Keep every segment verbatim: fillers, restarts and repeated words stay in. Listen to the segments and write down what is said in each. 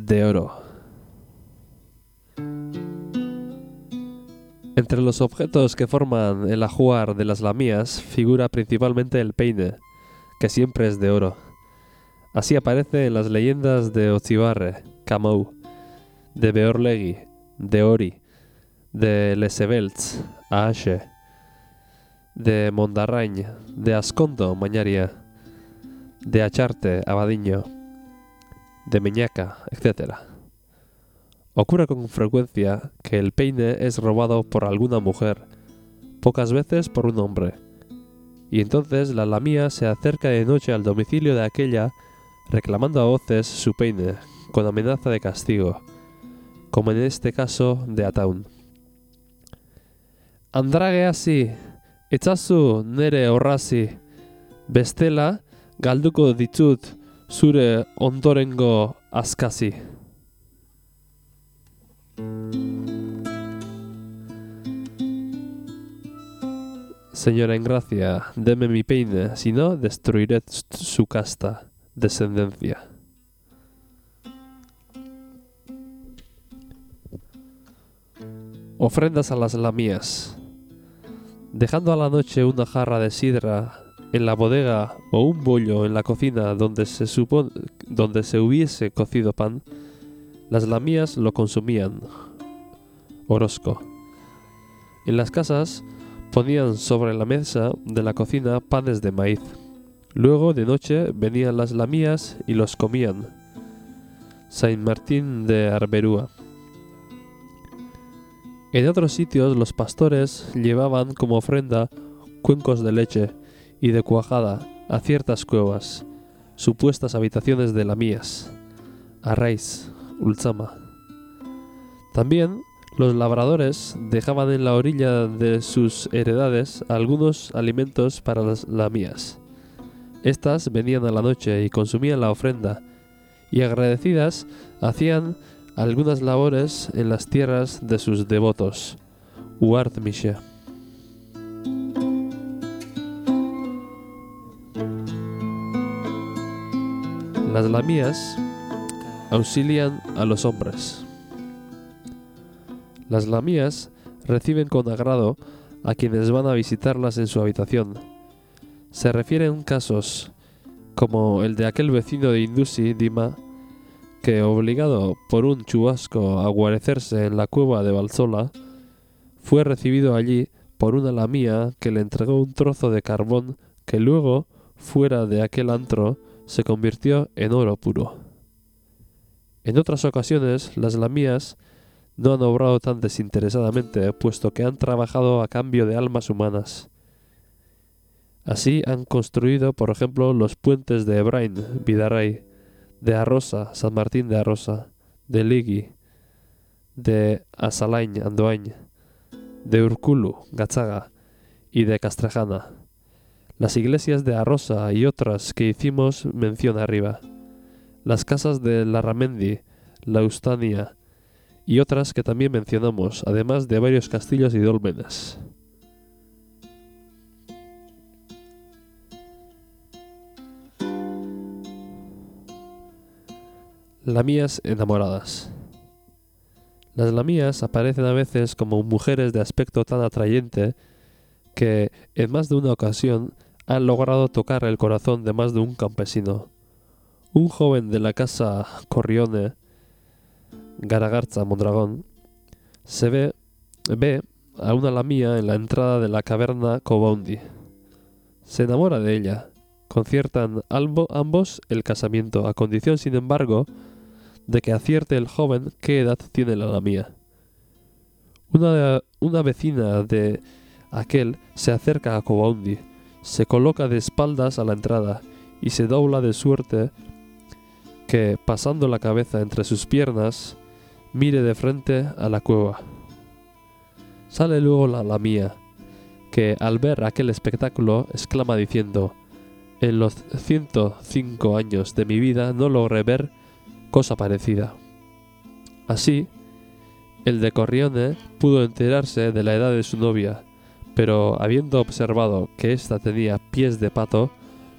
de oro. Entre los objetos que forman el ajuar de las lamías figura principalmente el peine, que siempre es de oro. Así aparece en las leyendas de Otzibarre, Camou, de Beorlegui, de Ori, de Lesebelts, Aashe, de Mondarrañ, de Ascondo, Mañaria, de Acharte, Abadiño, de Meñaca, etcétera. Ocurre con frecuencia que el peine es robado por alguna mujer, pocas veces por un hombre, y entonces la lamía se acerca de noche al domicilio de aquella reclamando a voces su peine, con amenaza de castigo, como en este caso de Ataun. Andrage hasi, etzazu nere orrazi, bestela galduko ditut zure ondorengo askazi. Señora en gracia, deme mi peine, si no, destruiré su casta descendencia. Ofrendas a las lamías. Dejando a la noche una jarra de sidra en la bodega o un bollo en la cocina donde se supone, donde se hubiese cocido pan, las lamías lo consumían. Orozco. En las casas ponían sobre la mesa de la cocina panes de maíz. Luego, de noche, venían las lamías y los comían. Saint Martín de Arberúa. En otros sitios los pastores llevaban como ofrenda cuencos de leche y de cuajada a ciertas cuevas, supuestas habitaciones de lamías, Arraiz, Ultzama. También los labradores dejaban en la orilla de sus heredades algunos alimentos para las lamías. Estas venían a la noche y consumían la ofrenda, y agradecidas hacían algunas labores en las tierras de sus devotos, Uartmishe. Las lamías auxilian a los hombres. Las lamías reciben con agrado a quienes van a visitarlas en su habitación. Se refieren casos como el de aquel vecino de Indusi, Dima, que, obligado por un chubasco a guarecerse en la cueva de Valsola, fue recibido allí por una lamía que le entregó un trozo de carbón que luego, fuera de aquel antro, se convirtió en oro puro. En otras ocasiones, las lamías no han obrado tan desinteresadamente, puesto que han trabajado a cambio de almas humanas. Así han construido, por ejemplo, los puentes de Ebrain, Vidaray, de Arrosa, San Martín de Arrosa, de Ligui, de Asalain, Andoain, de Urkulu, Gatzaga, y de Castrejana. Las iglesias de Arrosa y otras que hicimos mención arriba. Las casas de Larramendi, Laustania, y otras que también mencionamos, además de varios castillos y dólmenes. Lamías enamoradas. Las lamías aparecen a veces como mujeres de aspecto tan atrayente que, en más de una ocasión, han logrado tocar el corazón de más de un campesino. Un joven de la casa Corrione, Garagarza, Mondragón, se ve, ve a una lamía en la entrada de la caverna Cobaundi. Se enamora de ella. Conciertan albo, ambos el casamiento, a condición, sin embargo, de que acierte el joven qué edad tiene la lamía. Una, una vecina de aquel se acerca a Cobaundi, se coloca de espaldas a la entrada y se dobla de suerte que, pasando la cabeza entre sus piernas, mire de frente a la cueva. Sale luego la lamía, que al ver aquel espectáculo exclama diciendo: «En los ciento cinco años de mi vida no logré ver cosa parecida». Así, el de Corrione pudo enterarse de la edad de su novia, pero habiendo observado que ésta tenía pies de pato,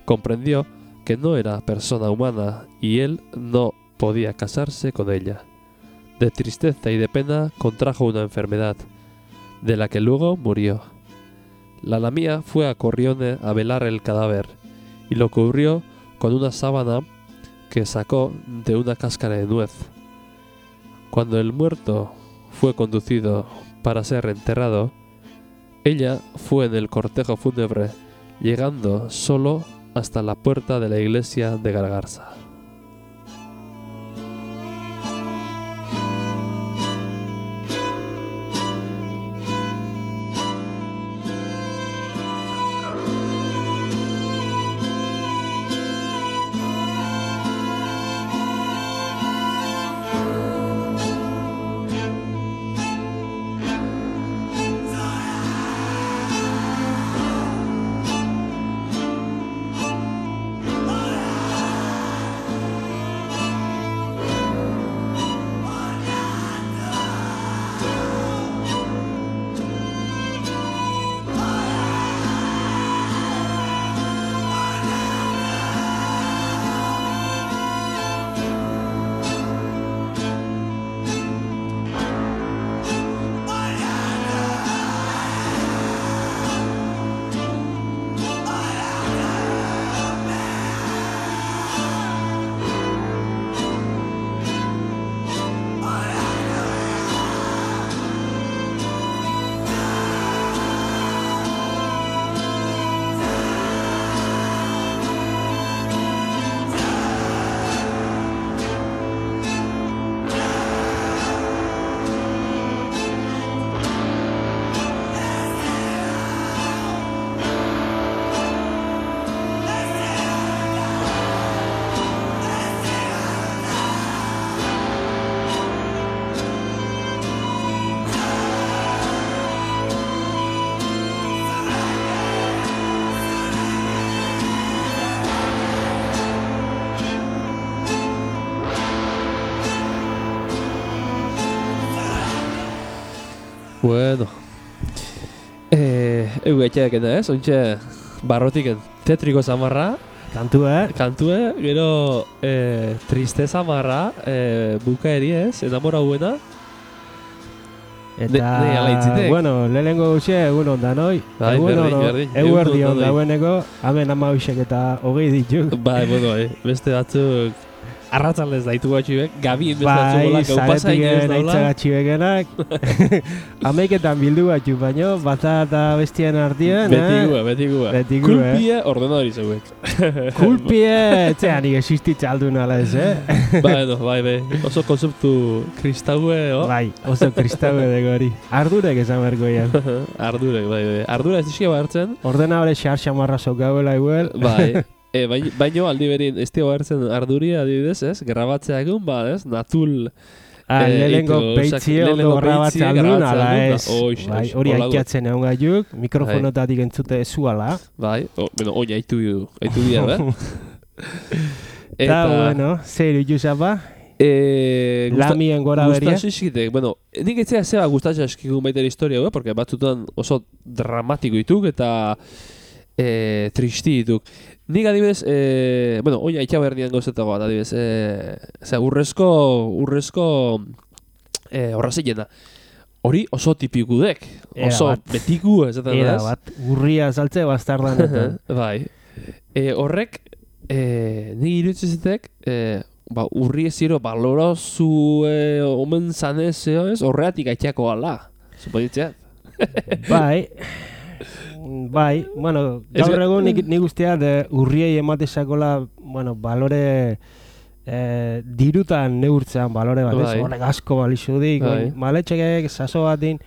comprendió que no era persona humana y él no podía casarse con ella. De tristeza y de pena contrajo una enfermedad, de la que luego murió. La Lamia fue a Corrione a velar el cadáver, y lo cubrió con una sábana que sacó de una cáscara de nuez. Cuando el muerto fue conducido para ser enterrado, ella fue en el cortejo fúnebre, llegando solo hasta la puerta de la iglesia de Gargarza. Bueno, eh, egu etxeak ez, ointxe barrotiken tetriko zamarra, Kantua, kantue, gero eh, tristeza marra, eh, bukaeri ez, enamora buena. eta, Ne- ne ala itzitek. bueno, lehenengo guxe, egun ondan, oi? Bai, egun berdin, ono, berdin, egun egun erdi on on danoi. dagoeneko, hemen ama hoxek eta hogei dituk. Bai, bueno, eh, beste batzuk arratzaldez daitu batxuek, gabi beste batzuk Bai, bola, gau pasa inoiz zaretiken daula. aitzagatxi bekenak. Hameiketan bildu batxu, baino, bata eta bestien artien, Beti eh? gua, beti gua. Beti gu, eh? Kulpie ordenadori zeuek. Kulpie, etxean nik existitza aldu nala ez, eh? Bai, no, bai, bai. Oso konzeptu kristaue, oh? Bai, oso kristaue dego hori. Ardurek esan berko ian. Ardurek, bai, bai. Ardura ez dizkia hartzen. Ordenadore xar xamarra sokauela igual. Bai. E, baino, baino aldi berin ez dio hartzen arduria adibidez, ez? Grabatzea egun, ba, ez? Natul Ah, Eh, lehenengo eitu, peitzie osak- ondo lehenengo grabatzen peitzie aldun, grabatzen ala aldun, ez. da, oix, Bai, oix, hori holago. aitkatzen egon gaiuk, mikrofonotatik entzute ezuala. bai, o, bueno, oin aitu, aitu dira, eh? Eta, bueno, zer ituzapa, eh, gusta- lamien gora beria. Gustatzen xikitek, bueno, nik etzea zeba gustatzen eskigun baita historia, eh? Porque batzutan oso dramatiko dituk eta eh, tristi dituk. Nik adibidez, eh, bueno, oin aitxa berdian gauzetago bat, adibidez, eh, zera, urrezko, urrezko eh, horrazilena. Hori oso tipikudek, Era oso bat. betiku ez eta Era bat, urria saltze bastardan eta. Bai. E, horrek, e, ni irutzizetek, e, ba, urri ez ziro balorazu e, omen zanez, ez, horreatik aitxako ala. Suponitzea. Bai, bai, bueno, Ez gaur ga- egun nik, nik usteat eh, urriei ematezakola, bueno, balore eh, dirutan neurtzean balore bat, ez? Bai. Horrek asko balixu dik, Bai. maletxekek, saso batin,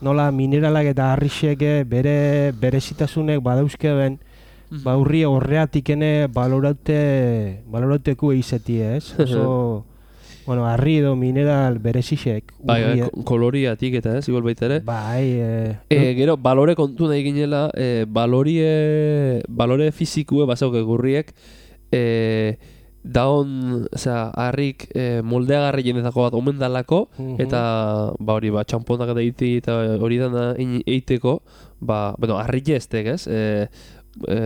nola mineralak eta harrixeke bere berezitasunek badauzkeben, ba urri horreatik ene baloraute, balorauteku izeti, ez? Oso, bueno, harri edo mineral berezisek. Bai, bai, urrie- ko- koloriatik eta ez, igual baita ere. Bai, eh, E, gero, balore kontu nahi ginela, e, balorie, balore fizikue basauke gurriek, e, daon, osea, harrik e, moldeagarri jenetako bat omen dalako, mhm. eta ba hori, ba, txamponak eta iti eta hori dana ein- eiteko, ba, bueno, harri jestek, ez? E, e,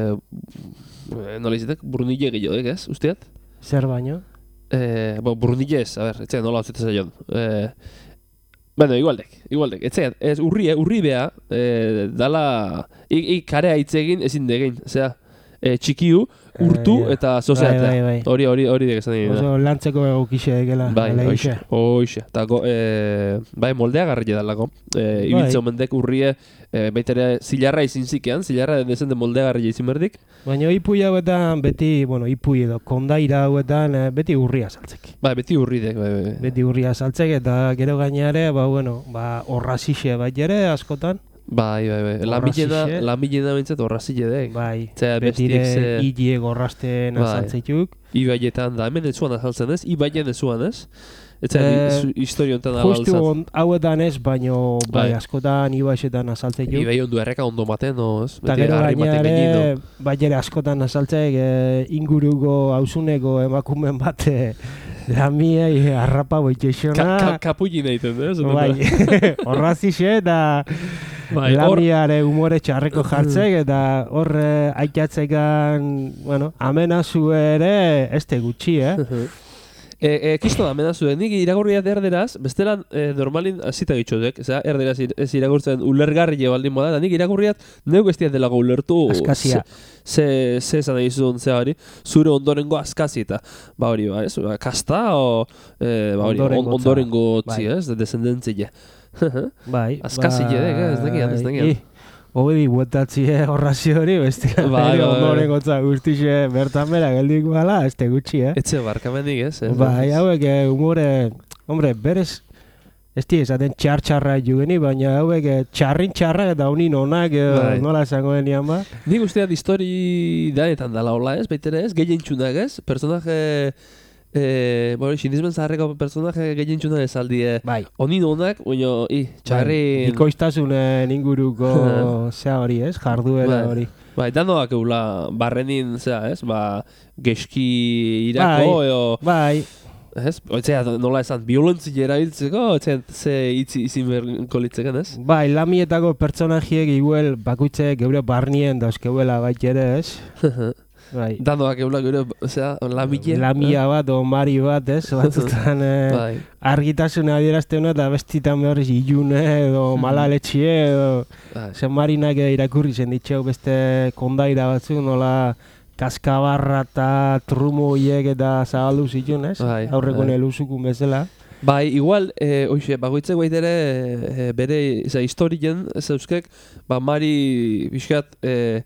e, nola izatek, burnile gehiago, ez? Usteat? Zer baino? Eh, bo, Brunillez, a ber, etxean nola hau zaion. Eh, bueno, igualdek, igualdek. Etxean, ez urri, urri beha, eh, dala, ik, ik karea hitz egin ezin degin, osea, eh, txikiu, urtu Eh, ja. eta soziatea. Bai, bai, bai. Hori, hori, hori dek esan egin. Oso lantzeko egokixe egela. Bai, hala hoxe, gisa. hoxe. Eta go, e, bai, moldea garri edalako. E, Bai. Ibiltze omendek urrie, e, baita ere zilarra izin zikean, zilarra dezen de moldea garri izin berdik. Baina ipui hauetan beti, bueno, ipui edo kondaira hauetan eh, beti urria saltzek. Bai, beti urridek, bai, bai. Beti urria saltzek eta gero gainare, ba, bueno, ba, horrazixe bat ere askotan. Bai, bai, bai. Lamilena, Horrazixe. lamilena bintzat horrazile dek. Bai, Zea, betire bestik ze- hile gorrasten Bai. azaltzeituk. Ibaietan da, hemen ezuan azaltzen ez, ibaien ezuan ez. Eta Eh, eh, historio honetan ala Justu alzat. on, hauetan ez, baino bai, Bai. askotan ibaixetan azaltzeituk. Ibai ondu erreka ondo maten, no, ez? Eta Beti gero harri batek gainare, gainino. bai ere askotan azaltzek e, inguruko hauzuneko emakumen bat e, lamiei harrapa boitxexona. Ka, ka, kapulli nahiten, ez? Bai, horrazixe eta Bai, hor- lamiare humore txarreko jartzek eta hor e, aitatzekan, bueno, amenazu ere ez te gutxi, eh? E, e, kisto da, menazu, nik iragurriat erderaz, bestelan e, normalin azita gitxotek, eza, erderaz ir, ez iragurtzen ulergarri baldin moda, eta nik iragurriat neuk ez delago ulertu Askazia. ze, ze esan nahi zuen ze hori, zure ondorengo askazi eta, ba hori, ba, ez, ba, kasta, o, e, ba hori, on, Ondorengotza. ondorengo tzi, Bai. ez, descendentzia. Bai. Askazi jedek, eh, ez dakian, ez dakian. I, Hobedi buetatzie horrazio hori, beste Bai, bai, bai. ondoren gotza guztixe bertan bera geldik bala, ez te gutxi, eh? Etxe barkamenik, ez? ez, Bai, ez. hauek eh, humore, hombre, berez, ez di esaten txar-txarra jugeni, baina hauek eh, txarrin txarra eta honin onak, eh, Bai. nola esango denian ba. Nik usteat histori danetan dala hola, ez? Baitere ez? Gehien txunak, ez? Personaje... Eh, bueno, xindizmen zaharreko personaje gehien txunak ez aldie. Bai. Onin onak, baina, i, txarrin... Bikoiztasunen inguruko zea hori, ez? Jarduera Bai. hori. Bai, danoak eula barrenin, zera, ez? Ba, geski irako, Bai. eo... Bai, Ez? Oitzea, nola esan, violentzia erabiltzeko, oitzea, ze itzi izin beharko litzeken, ez? bai, lamietako pertsonajiek igual bakuitze geure barnien dauzkeuela bait ere, ez? Bai. Danoak eula gure, osea, lamile. Lamia bat o mari bat, ez? Batzutan eh, Bai. argitasuna adierazten eta bestitan behar ilune edo malaletxie edo Bai. zen marinak irakurri zen ditxeu beste kondaira batzuk nola kaskabarra eta trumo hiek eta zabaldu zituen, ez? Bai, Aurreko bai. neluzukun bezala. Bai, igual, e, oixe, bagoitzek baitere e, bere, eza, historien, ez euskek, ba, mari pixkat, e,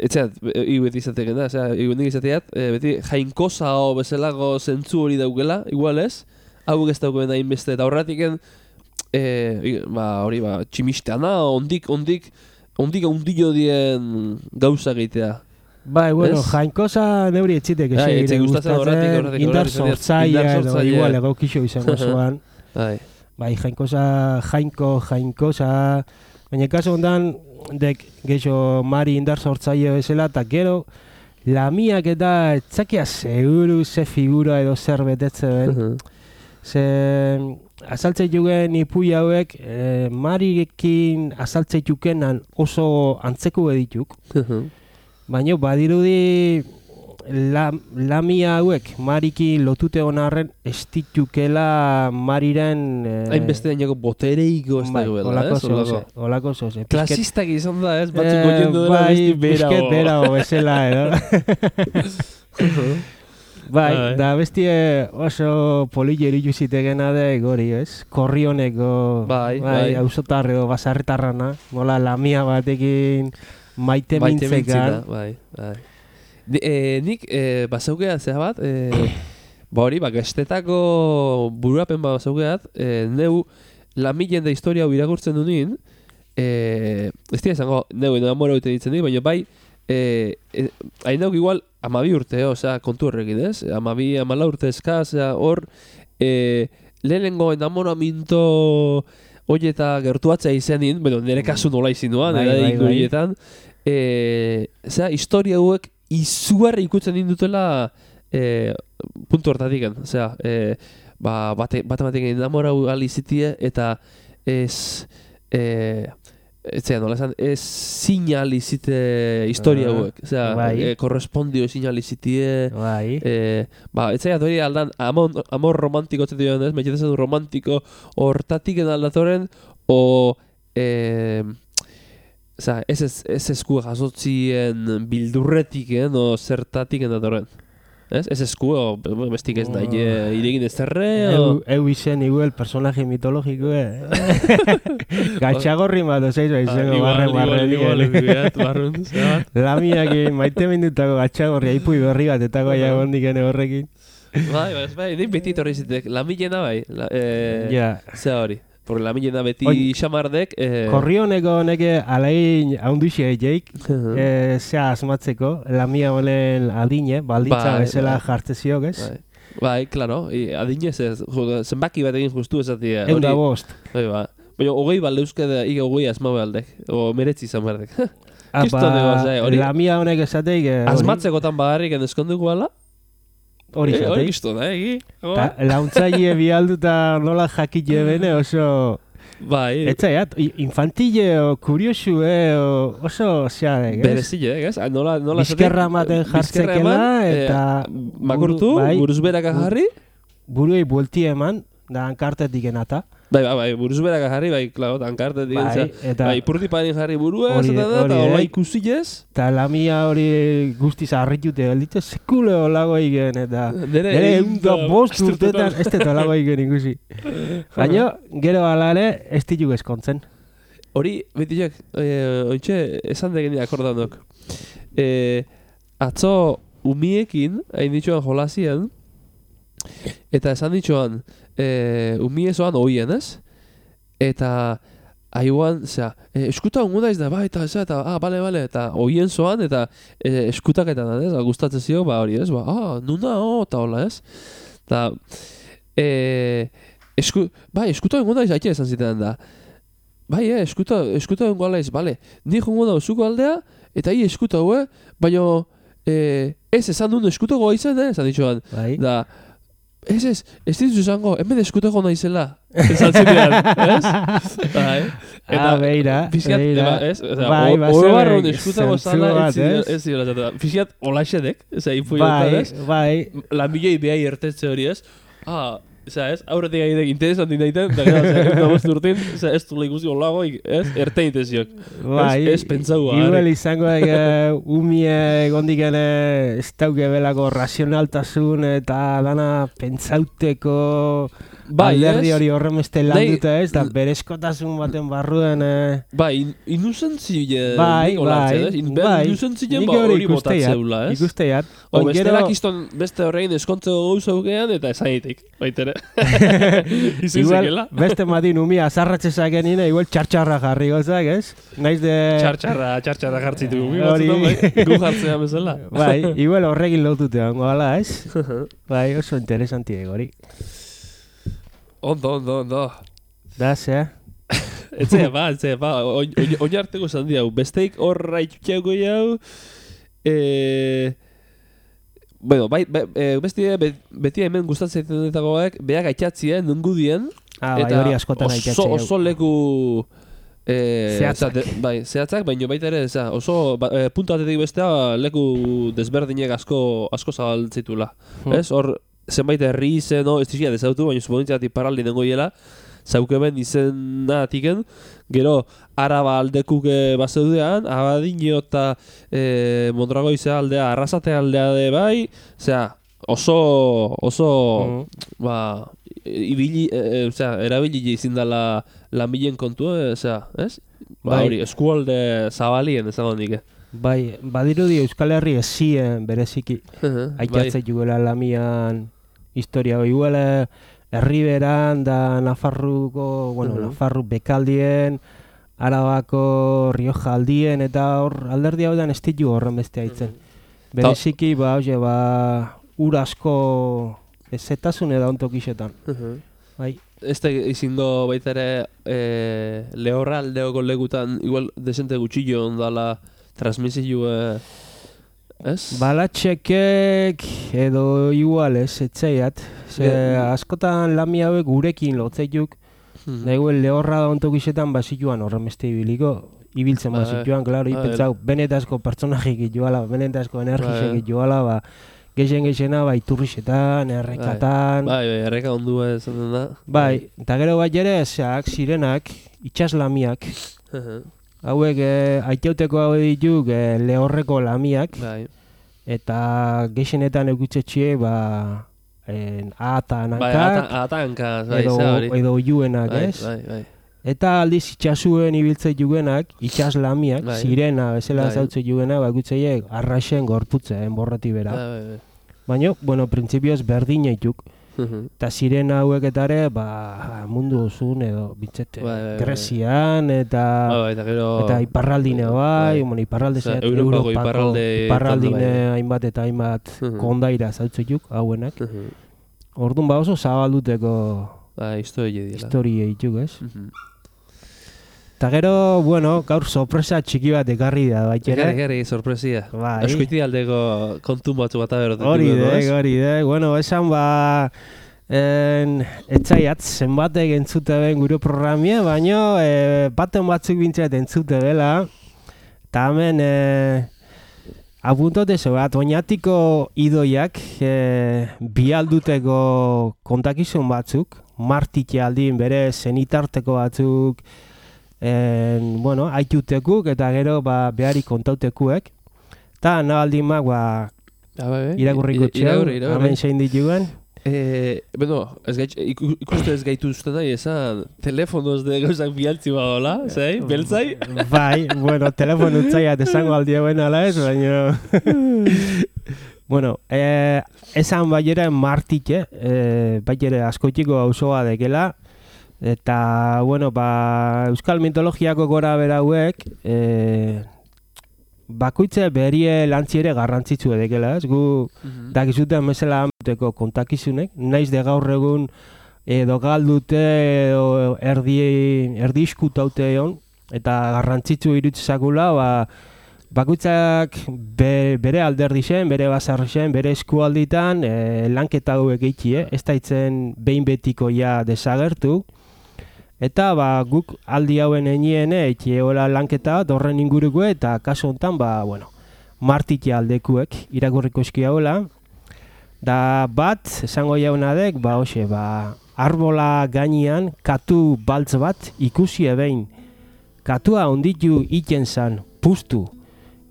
etxeat, iuet izatek da, osea, iuetik izateat, e, beti jainkosa o bezalago zentzu hori daukela, igual ez, hauek ez daukeen hainbeste, eta horretiken, e, i- ba, hori, ba, tximisteana, ondik, ondik, ondik ondillo dien gauza egitea. Bai, bueno, Ez? jainkosa neuri etxitek Bai, ese etxe gustatzen horretik, horretik, indar horretik, horretik, sortzaia indar edo sortzaile. igual egokixo izango zuan. Bai, Bai, jainkosa, jainko, jainkosa, baina kaso hondan dek geixo mari indar sortzaile bezala, eta gero lamiak eta etzakia seguru ze figura edo zer betetze ben. Ze azaltze jugen ipui hauek e, marirekin azaltze jukenan oso antzeko edituk. Baina badirudi la, lamia hauek mariki lotute onarren ez ditukela mariren... Eh, hainbeste dainako botereiko ez bai, dagoela, olako ez? Olako. zoze, olako zoze. Klasistak izan da, ez? Batzuk Eh, goiendu dela bai, besti bera. pixket bera o bezala, edo. Bai, Bai. da bestie oso polile eritu zitegena de gori, ez? Korrioneko, Bai, bai. auzotarre edo basarretarrana, nola lamia batekin maite Maite mintzekan. mintzita, bai, bai. Ni, eh, nik eh, basaukea zea bat, eh, ba hori, ba, gestetako bururapen bat basaukeat, eh, neu lamilen da historia hau irakurtzen du nien, eh, ez dira izango, neu enamora dute ditzen nik, baina bai, eh, eh, hain dauk igual, amabi urte, osea, kontu horrekin, ez? Amabi, amala urte eskaz, osea, hor, eh, lehenengo enamoraminto horieta gertuatzea izenin, bueno, nire kasu nola izinuan, Bai, nire bai, ingo bai. horietan, eh, osea, historia hauek izugarri ikutzen indutela eh, puntu hortatik, osea, eh, ba, bate, bate batekin enamorau alizitie, eta ez, eh, Etzea, nola esan, ez sinalizite historia Ah, hauek. Osea, bai. eh, korrespondio sinalizitie. Bai. Eh, ba, etzea dori aldan, amor, amor romantiko txetu joan ez, metxetezen du romantiko, hortatik aldatoren, o... Eh, Osea, ez ez, ez eskua jasotzien bildurretik, eh, no zertatik aldatoren. Ez? Ez eskua, o bestik ez nahi, eh, iregin ez terre, o... Eu, eu izen igual personaje mitologiko, eh? Gatxagorri bat, ozeizu, izango barren barren. Lamiak maite mindutako gatxagorri, aipui berri bat, eta goia gondik ene horrekin. Bai, bai, bai, nik beti torri zitek, lamilena bai, la, eh, Ja. zea hori. Porque lamilena beti Oi, xamardek... Eh, Korrioneko neke alain haunduxe jeik, eh, zea asmatzeko, lamia honen adine, baldintza Bai, bezala bai. jartzeziok, ez? bai, bai, claro, i, adinez ez, jo, zenbaki bat egin justu ezatia. Egun da bost. Bai, ba. Baina, hogei balde euskada, ige hogei asma baldek, o meretzi izan berdek. Apa, Kiston egoz, eh, hori. lamia honek esateik, eh, hori- Asmatzekotan bagarrik eskonduko ala? hori Eh, Hori esateik. kiston, eh, egi? Ta, launtzaile bialduta nola jakile bene oso... Bai, Etzaiat, infantile o kuriosu, eh, o, oso zeadek, ez? berezile, ez? Ah, Nola, nola Bizkerra ematen bizkerra jartzekela, eman, eta... eh, makurtu, buru- bai, buruzberaka jarri, buruei buelti eman, da hankartetik enata. bai, bai, bai, buruzberaka jarri, bai, klaro, tankartetik, Bai, bai, eta- bai, ipurdi parin jarri burua, Hori- eta da, hori, eta hola eh. ikusilez, Eta lamia hori guztiz harritute gelditze, sekule olago igen, eta... nere, Nere ehun egun da da bost bost urtetan. urtetan, ez dut olago igen ikusi. Baina, gero ala ere, ez dituk eskontzen. Hori, betiak, eh, ointxe, esan degeni akordanok. Eh, atzo, umiekin, hain ditxoan jolazien, eta esan ditxoan, eh, umie zoan oien, ez? Eta, haiuan, zera, eh, eskuta hongo daiz da, ba, eta, zera, eta, ah, bale, bale, eta oien zoan, eta eh, eskutaketan, ez? Gustatzen zio, ba, hori, ez? Ba, ah, nuna, oh, eta hola, ez? Eta, eh, esku, bai, eskuta hongo daiz, aite esan zitean da. Bai, eh, eskuta, eskuta hongo alaiz, bale, ni jongo da zuko aldea, eta hi eskuta hue, baina, eh, ez, esan duen eskutogo izan, eh, esan ditxoan. Bai. Da, ez ez, ez dituz esango, hemen eskutogo naizela. Esan zitean, ez? Bai. Ah, beira, Fiziat, beira. ez? Oza, Bai, o- bazen orobarrun eskutago zentzu zala, bat, ez zidela, ez? ez zidela esaten. Fiziat, olaxedek, ez da, info Bai, ez? bai. Lanbilei behai ertetze hori, ez? Ah, Osa, ez, aurretik gaitek interesantin daiten, eta gara, ez da bost urtin, oza, ez du ikusi olago, ez, erte inteziok. Bai, Ez, ez pentsau, igual ari. izango da, umie gondik ere ez dauke belako razionaltasun eta dana pentsauteko Bai, alderdi ez? hori horremeste Nahi- landuta ez, da berezkotasun baten barruen... Eh, Bai, in, inuzentzile bai, nik bai, olartzen, ez? In, bai, Inuzentzile nik ba hori hori botatzeula, ez? ikusteiat. O Oin bestela gero- kiston beste horrein eskontzeko gauza ugean eta esaitik, baitere. Izin Igual, zekela. beste matin umia azarratzezak nina, igual txartxarra jarri gozak, ez? Naiz de... Txartxarra, txartxarra jartzitu. Mi Hori. batzutan, bai, gu jartzea bezala. Bai, igual horrekin lotute hongo ala, ez? Bai, oso interesanti hori. Ondo, ondo, ondo. Da, zea? Etzea, ba, etzea, ba, oin oin- oin arteko zandi hau. Besteik horra itxutxeago jau, eh... Bueno, bai, be, e, besti be, beti hemen gustatzen zaitenetakoak beak aitzatzien nungudien Ah, bai, hori askotan oso, aitzatzen. oso leku eh, Zehatzak. oza, de, bai, zehatzak, baina baita ere oza, oso ba, e, puntu batetik bestea leku desberdinek asko asko zabaltzitula. Hmm. Ez? Hor zenbait herri izen, no, ez dizia dezautu, baina suponitzatik paraldi dengo hiela, zaukeben izenatiken, gero Araba aldekuke bazeudean, Abadino eta e, Mondragoize aldea, Arrasate aldea de bai, osea, oso, oso, Mm. ba, ibili, e, osea, erabili izin dela lanbilen kontua, e, osea, ez? Ba, Bai. hori, eskualde zabalien esan hondik. Bai, badirudi Euskal Herri ezien bereziki. Bai. Aitzatzen juela lamian historia hori iguela Herriberan da Nafarruko, bueno, Mhm. Nafarru bekaldien, Arabako Rioja aldien, eta hor alderdi hau da ez ditu horren beste haitzen. Bereziki, ba, oie, ba, ur asko ezetasun edo ontokixetan. Bai, Ez da izingo baita ere e, lehorra aldeoko legutan igual desente gutxillo ondala transmisio, e, ez? balatxekek edo igual ez, etzeiat. Ze Ge- askotan lami hauek gurekin lotzeiuk, Hmm. da igual lehorra da ontokixetan basituan horren beste ibiliko. ibiltzen bazituan, klaro, ipentzau, benetazko pertsonajik joala, benetazko energixek joala, ba, geixen geixena, ba, iturrixetan, errekatan... Bai, bai, erreka ondua esaten da. Bai, eta gero bat jere, zeak, sirenak, itxaslamiak, hauek, eh, aiteuteko hau dituk, eh, lehorreko lamiak, bai. Eta geixenetan egutzetxe, ba, en, ahatan hankak, bai, atanka, bai, edo, edo oiuenak, bai, ez? Bai, bai. Eta aldiz itxasuen ibiltzei jugenak, itxaslamiak, bai. Sirena, bezala bai. Zautzei jugenak, bakutzeiek arraxen gorputzen, borrati bera. Bai, bai, bai. Baina, bueno, printzipioz berdin eituk. Eta sirena hauek etare, ba, mundu zuen edo, bintzete, bai, bai, Grezian, eta, bai, bai, eta, gero, eta iparraldine bai, bai. Bueno, iparralde zeat, Europako, Europako iparralde, iparraldine bai. Hainbat eta hainbat uh -huh. kondaira zautzeiuk, hauenak. Uh -huh. Orduan ba oso zabalduteko ba, historia dira. Historia eituk, ez? Uh -huh. Eta gero, bueno, gaur sorpresa txiki bat ekarri da, baita ere. Ekarri, ekarri, sorpresia. Bai. Eskuiti aldeko kontu batzu bat aberotetik. Hori dek, hori dek. Bueno, esan ba... En, etzaiat, zenbatek entzute ben gure programia, baino e, baten batzuk bintzat entzute dela. Eta hemen, e, apuntote zo bat, oinatiko idoiak e, bialduteko kontakizun batzuk, martike aldin bere zenitarteko batzuk, En, bueno, aitutekuk eta gero ba, behari kontautekuek. Eta nabaldin mak, ba, irakurriko txeu, hemen zein dituen. Eh, bueno, ez gait, ikuste ez gaitu uste nahi, esan telefonoz de gauzak bialtzi badola, zei, beltzai? Bai, bueno, telefon utzaiat esango aldi hauen ala ez, baina... bueno, eh, esan baiera martike, eh, baiera askoitiko auzoa dekela, eta, bueno, ba, euskal mitologiako gora berauek, e, bakoitze berie lantziere garrantzitsu edekela, ez? Gu, mm-hmm. dakizuten mesela amuteko kontakizunek, naiz de gaur egun edo galdute edo erdi, erdi iskutaute egon, eta garrantzitsu irutzakula, ba, bakoitzak be, bere alderdi zen, bere basarri zen, bere eskualditan e, lanketa hauek eiki, eh? Ez daitzen behin betiko ja desagertu. Eta ba, guk aldi hauen enien eiki egola lanketa bat horren inguruko eta kasu honetan, ba, bueno, martike aldekuek irakurriko eski hauela. Da bat, esango jaunadek, ba, hoxe, ba, arbola gainean katu baltz bat ikusi ebein. Katua onditu iten zan, puztu.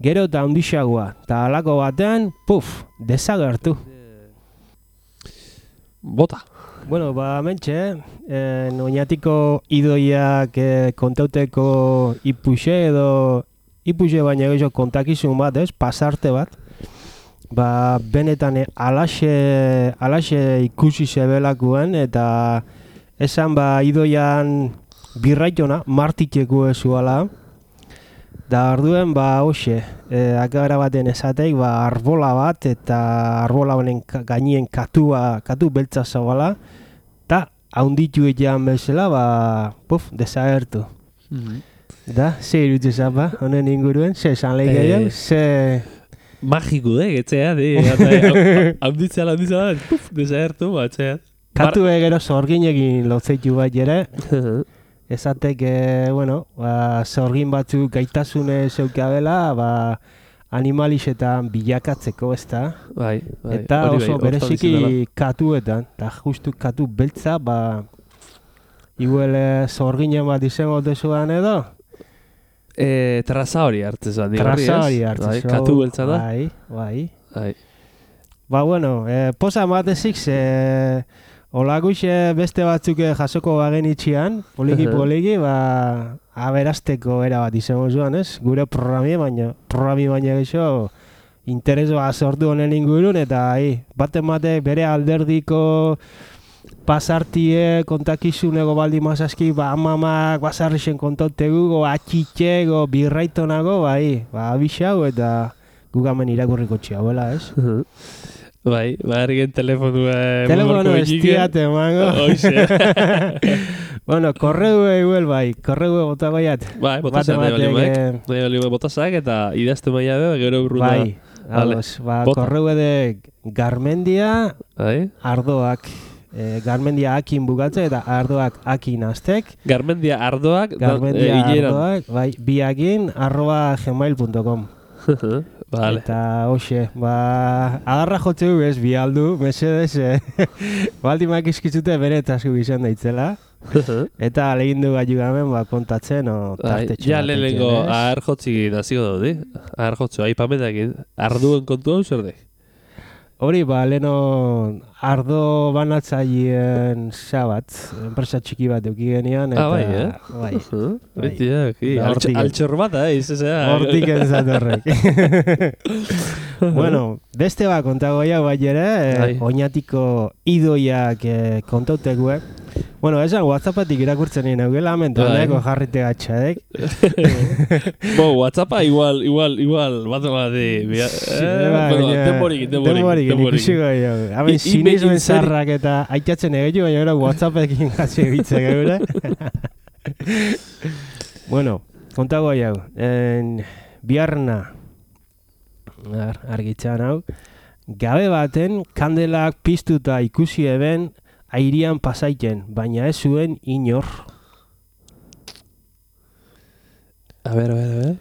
Gero eta ondixagoa, eta alako batean, puf, desagertu. Bota. Bueno, ba, mentxe, eh, oinatiko idoiak eh, kontauteko ipuxe edo ipuxe baina gehiago kontakizun bat, ez, pasarte bat. Ba, benetan eh, alaxe, alaxe ikusi zebelakuen eta esan ba idoian birraitona, martiteko ezuala. Da orduen, ba, hoxe, eh, akabera baten esateik, ba, arbola bat eta arbola honen gainien katua, katu beltza zabala, eta haunditu egian bezala, ba, puf, desagertu. Mm-hmm. Da, ze irutu zapa, honen inguruen, ze esan lehi gehiago, ze... Magiko, eh, getzea, di, haunditzea, haunditzea, puf, desagertu, batzea. Katu egero zorginekin lotzeitu bat jere, esatek, eh, bueno, ba, zorgin batzuk gaitasune zeukabela, ba, animalixetan bilakatzeko, ezta? Bai, bai. Eta oso bai, bereziki katuetan, eta justu katu beltza, ba, iguele zorginen bat izango dezuan edo? E, traza hori hartze zuen, digarri ez? Traza hori hartze bai, katu beltza da? Bai, bai. Bai. Ba, bueno, eh, posa matezik, ze... Olaguxe beste batzuk jasoko bagen itxian, poliki-poliki, ba, aberasteko era bat izango zuan, ez? Gure programia, baina, programi baina geixo, interes bat sortu honen ingurun, eta hi, baten batek bere alderdiko pasartie kontakizunego baldi mazazki, ba, amamak basarrixen kontautegu, go, atxitxe, go, birraitonago, ba, hi, ba, abixau, eta gugamen irakurriko txiabuela, ez? Bai, barrigen telefonu eh, telefonu estiate, mango. Oixe. Bueno, korreu eguel bai, korreu bota baiat. Bai, botazak nahi bali maik. Nahi bali botazak eta idazte maia be, gero urruna. Bai, ados, ba, korreu ede Garmendia, bai? Ardoak, E, Garmendia akin bukatzen eta ardoak akin aztek. Garmendia ardoak, Garmendia e, ardoak, bai, biakin, arroba gmail punto com. Vale. Eta, hoxe, ba, agarra jotze ez, bi aldu, mesedez, eh, baldimak izkitzute bere tasku izan daitzela. Eta lehin du gamen ba, kontatzen, o, tartetxe. Ja, lehenengo, ahar jotzi naziko daudi. Ahar jotzu, aipamenekin, arduen kontu hau zer dek? Hori, ba, leheno ardo banatzaileen sabat, enpresa txiki bat euki genian, eta... Ah, bai, eh? Bai. Uh-huh. Bai. Altxor bat, eh? Hortik entzat horrek. Bueno, beste bat kontago jau bai ere, eh, oinatiko idoiak eh, kontautekue. Bueno, esan WhatsAppatik irakurtzen nien eugela, mentoneko jarrite gatxadek. Bo, WhatsAppa igual, igual, igual, bat bat di... Denborik, denborik. Denborik, ikusiko jau. Haben, sinismen zarrak eta aitatzen egin, baina gara WhatsAppekin gazi egitzen geure. Bueno, kontago jau. Biarna, argitzan hau, gabe baten kandelak piztuta ikusi eben airian pasaiten, baina ez zuen inor. A ber, a ber, a ber.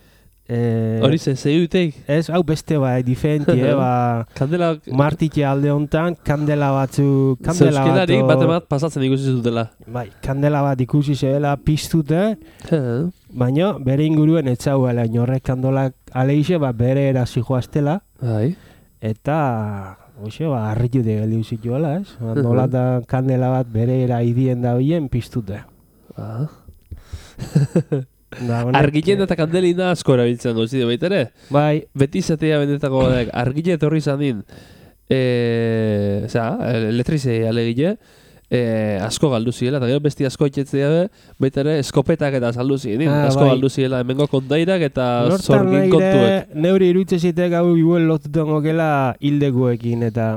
Hori zen, zei duteik? Ez, hau beste ba, diferentie, ba... Kandela... Martitxe alde honetan, kandela batzu... Zeuskelarik bat emat pasatzen ikusi zutela. Bai, kandela bat ikusi zela piztute, baina bere inguruen etzauela inorrek kandolak aleixe, ba, bere erazi joaztela. Bai. Eta... Oxe, ba, harritu de geldiu zituela, ez? Nolatan kandela bat bere eraidien da hoien piztute. Ah. Argillen eta kandelina asko erabiltzen duzide baita ere? Bai. Beti zatea bendetako badek, argile etorri izan din, e, oza, elektrizei alegile, e, asko galdu ziela, eta gero besti asko itxetzea be, baita ere eskopetak eta saldu ziren, ah, asko bai. Galdu ziela, hemengo kontairak eta zorgin kontuek. Neuri irutze zitek hau igual lotuten gokela hildekuekin eta...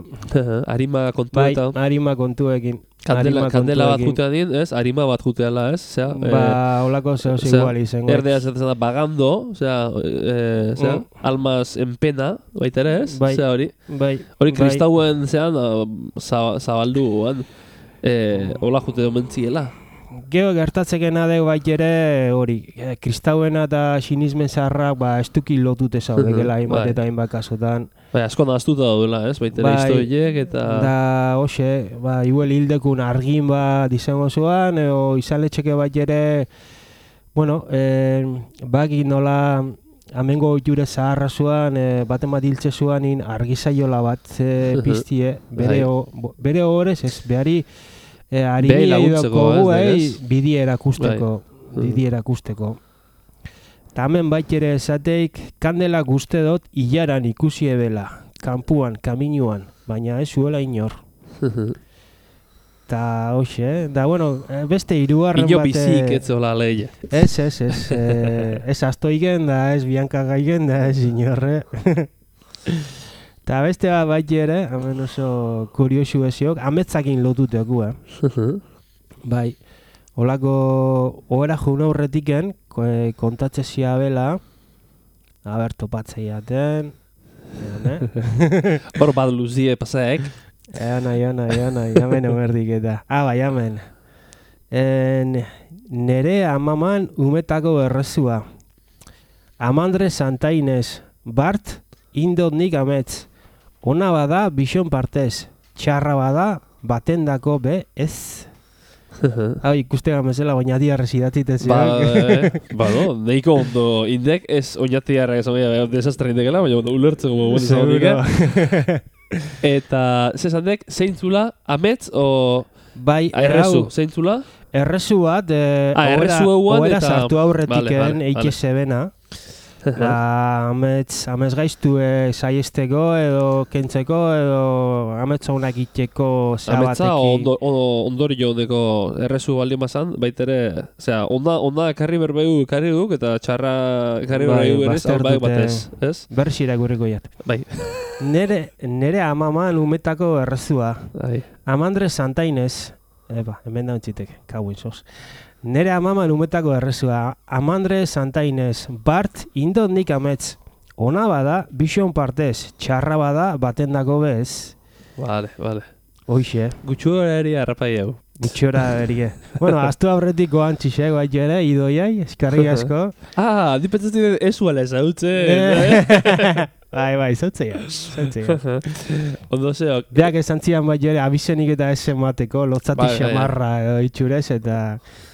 Arima kontuetan. Bai, arima kontuekin. Kandela, kandela bat jutea din, ez? Arima bat juteala, ez? Osea, ba, holako zehoz igual izango. Erdea zaten da, bagando, osea, eh, osea, mm. almas en pena, baita ere, ez? Bai, osea, hori. Bai, hori kristauen, zean, zabaldu, eh, hola jute domentziela. Gero gertatzekena deu bait ere, hori, kristauena eta sinismen zaharrak, ba, estuki lotute zaudekela, hainbat eta hainbat kasotan. Bai, asko naztuta daudela, ez? Baita ere historiek eta... Da, hoxe, ba, igual hildekun argin bat izango zuan, edo izaletxeke bat ere, bueno, eh, baki nola amengo jure zaharra zuan, eh, baten bat hiltze zuan in argizaiola bat eh, piztie, bere, o, bere horrez, ez, behari, eh, harini edoko gu, eh, bidi erakusteko, bidi erakusteko. Eta hemen bait ere esateik, kandela guzti dut hilaran ikusi ebela, kanpuan, kaminuan, baina ez zuela inor. Eta hoxe, da bueno, beste hirugarren bate... Ino bizik ez zola leia. Ez, ez, ez, ez astoigen da, ez bianka gaigen da, ez inorre. Eta beste bat bait ere, hemen oso kuriosu eziok, ametzakin lotuteku, eh? Bai. Olako, ohera juna horretiken, kontatze ziabela, haber topatzei aten, hor bat luzie pasaek. Eana, eana, eana, jamen emerdik eta. Ah, bai, jamen. Nere amaman umetako errezua. Amandre Santa Inez, Bart, indot nik ametz. Ona bada, bixon partez. Txarra bada, batendako be, ez. Hau ikuste gamezela oinatiarrez idatzitez. Ba, eh, ba do, neiko ondo indek ez oinatiarra esan gara desastre indekela, baina ondo ulertzen gomo bon izan honik. Eta, zezandek, zeintzula, ametz o... Bai, errezu, zeintzula? Errezu bat, eh, ah, errezu eguan eta... sartu aurretiken vale, vale, eike zebena. Da, amets, amets gaiztu e, saiesteko edo kentzeko edo ametsa honak itxeko zabateki. Ametsa ondo, ondori joaneko errezu baldin bazan, baitere, osea, onda, onda karri berbeu karri duk eta txarra karri berbeu berez, albaik batez, ez? Bersira gurriko jat. Bai. Nere, nere amaman umetako errezua. Bai. Amandre Santa Inez, eba, hemen da ontzitek, kauin zoz. Nere amaman umetako errezua, Amandre Santa Inez, Bart, indot nik ametz. Ona bada, bixon partez, txarra bada, batendako bez. Vale, vale. Hoixe. Gutxura eri harrapai hau. Gutxora berie. Bueno, aztu aurretik goan txixek, bai ere, idoiai, eskarri asko. Ah, di pentsatzen esuala ezautzen. Bai, bai, zautzea, zautzea. Ondo zeok. Beak esan zian bai ere, abizenik eta ez emateko, lotzati Bai, bai, xamarra edo itxurez, eta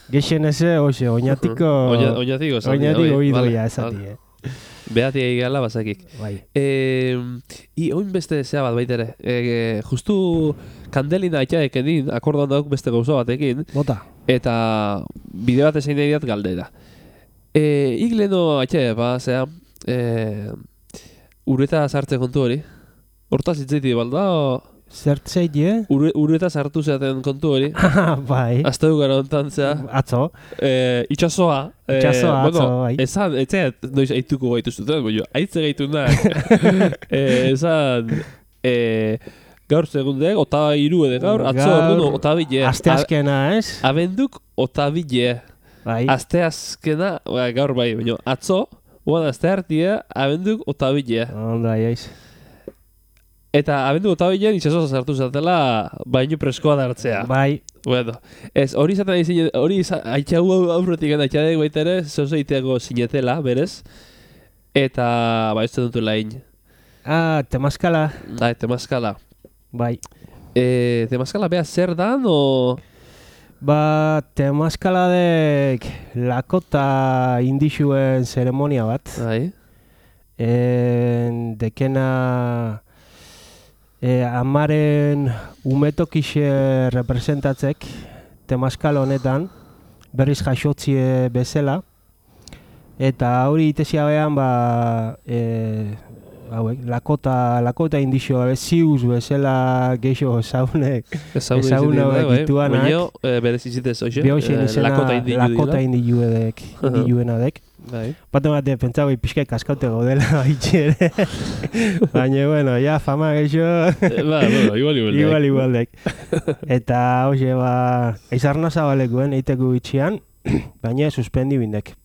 gexen eze, oxe, oinatiko... Oina- Oinatiko zati. Oinatiko idoia esati, eh. Beati egala bazakik. Bai. Eh, I oin beste zea bat baitere. Eh, justu kandelina aitaek edin, akordan dauk beste gauza batekin, Bota. eta bide bat ezein nahi diat galdera. Eh, ik leheno aitaek, ba, zea, eh, ureta sartze kontu hori. Hortaz hitzaiti balda, o... Zertzeit, eh? Ure, ureta sartu zeaten kontu hori. Bai. Azte du gara ontan zea. Atzo. Eh, itxasoa. Eh, Itxasoa, atzo, bai. Esan, etxeat, noiz aituko gaitu zuten, baina aitze gaitu nahi. eh, esan, eh, gaur segundek, ota iru edo gaur, atzo Gaur, orduan ota bile. Aste azkena, ez? Abenduk ota bile. Bai. Aste azkena, ba, gaur bai, baina atzo, guan aste hartia, abenduk ota bile. Onda, jaiz. Eta abenduk ota bilean itxasoa sartu zatela, baino preskoa da hartzea. Bai. Bueno, ez, hori izaten nahi zine, hori haitxagu aurretik gana haitxadek baita ere, zeuzo iteako sinetela, berez. Eta, ba, ez dut lain. Ah, temazkala. Ah, temazkala. Bai. E, temazkala beha zer dan, o... Ba, temazkala dek lakota indixuen zeremonia bat. Bai. En, dekena... E, amaren umetokixe representatzek temazkal honetan berriz jaxotzie bezala, eta hori itesia behan ba, e, hauek, lakota, lakota indixo ziuz bezala geixo ezaunek ezaunek dituanak. Baina, e, berez izitez hoxe, Behoxen izena lakota indilu edek, indiluena dek. Bai. Bate bate, pentsau pixkai kaskaute gaudela baitxe ere. Baina, bueno, ja, fama geixo... Ba, bueno, igual igual dek. Igual igual dek. Eta, hoxe, ba, eizarna zabalekuen eiteko bitxian, baina suspendi bindek.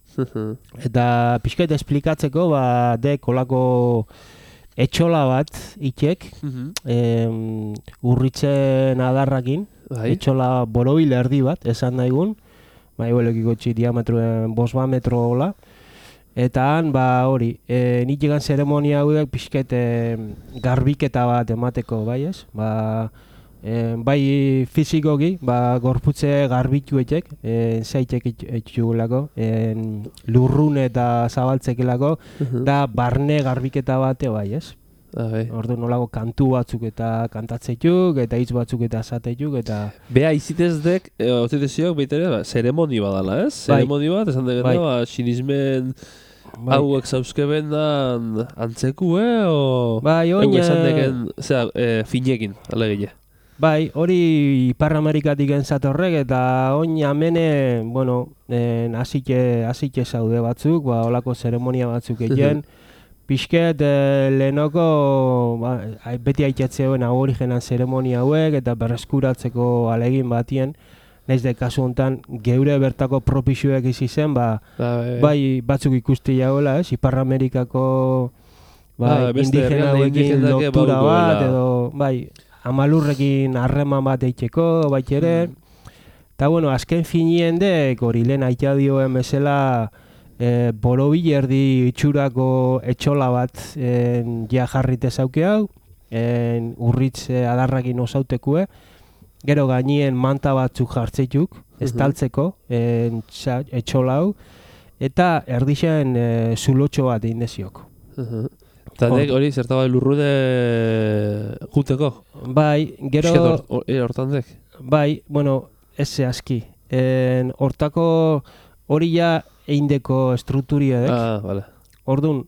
Eta pixkaita esplikatzeko, ba, dek olako etxola bat itxek, em, urritzen adarrakin, etxola borobil erdi bat, esan daigun, ba, igualekiko txi diametroen bosba metro hola. Eta han, ba, hori, e, nik egan zeremonia hauek pixket e, garbiketa bat emateko, bai ez? Ba, e, bai fizikoki, ba, gorputze garbituetek, e, zeitek etxugulako, e, lurrun eta zabaltzekelako, da barne garbiketa bate, bai ez? Ordu nolako kantu batzuk eta kantatzeituk, eta hitz batzuk eta esateituk, eta... Bea izitez dek, e, oziteziok baitere, ba, zeremoni badala, ez? Bai. Zeremoni bat, esan degena, bai. Ba, sinismen... Bai. Hauek zauzkeben da antzeku, eh? O... Bai, oin... Ego esan deken, zera, e, finekin, alegile. Bai, hori Ipar Amerikatik entzatorrek, eta oin amene, bueno, hasike hasike zaude batzuk, ba, olako zeremonia batzuk egin. Pixket, eh, lehenoko, ba, beti haitxatzeuen aborigenan zeremonia hauek, eta berreskuratzeko alegin batien, nahiz de kasu honetan geure bertako propixuek izi zen, ba, bai batzuk ikusti jagoela, ez? Ipar Amerikako bai, indigena hauekin lotura bat, edo bai, amalurrekin harreman bat eitxeko, bait ere. Eta, bueno, azken finien dek, hori lehen aitea dioen bezala, e, borobil erdi itxurako etxola bat en, ja jarrite zauke hau, en, urritz adarrakin osautekue, gero gainien manta batzuk jartzeituk, estaltzeko, en, etxola hau, eta erdixen e, zulotxo bat egin deziok. Eta dek hori zertaba lurrune juteko? Bai, gero... Hortan dek? Bai, bueno, ez zehazki. Hortako hori ja eindeko estrukturia dek. Ah, vale. Orduan,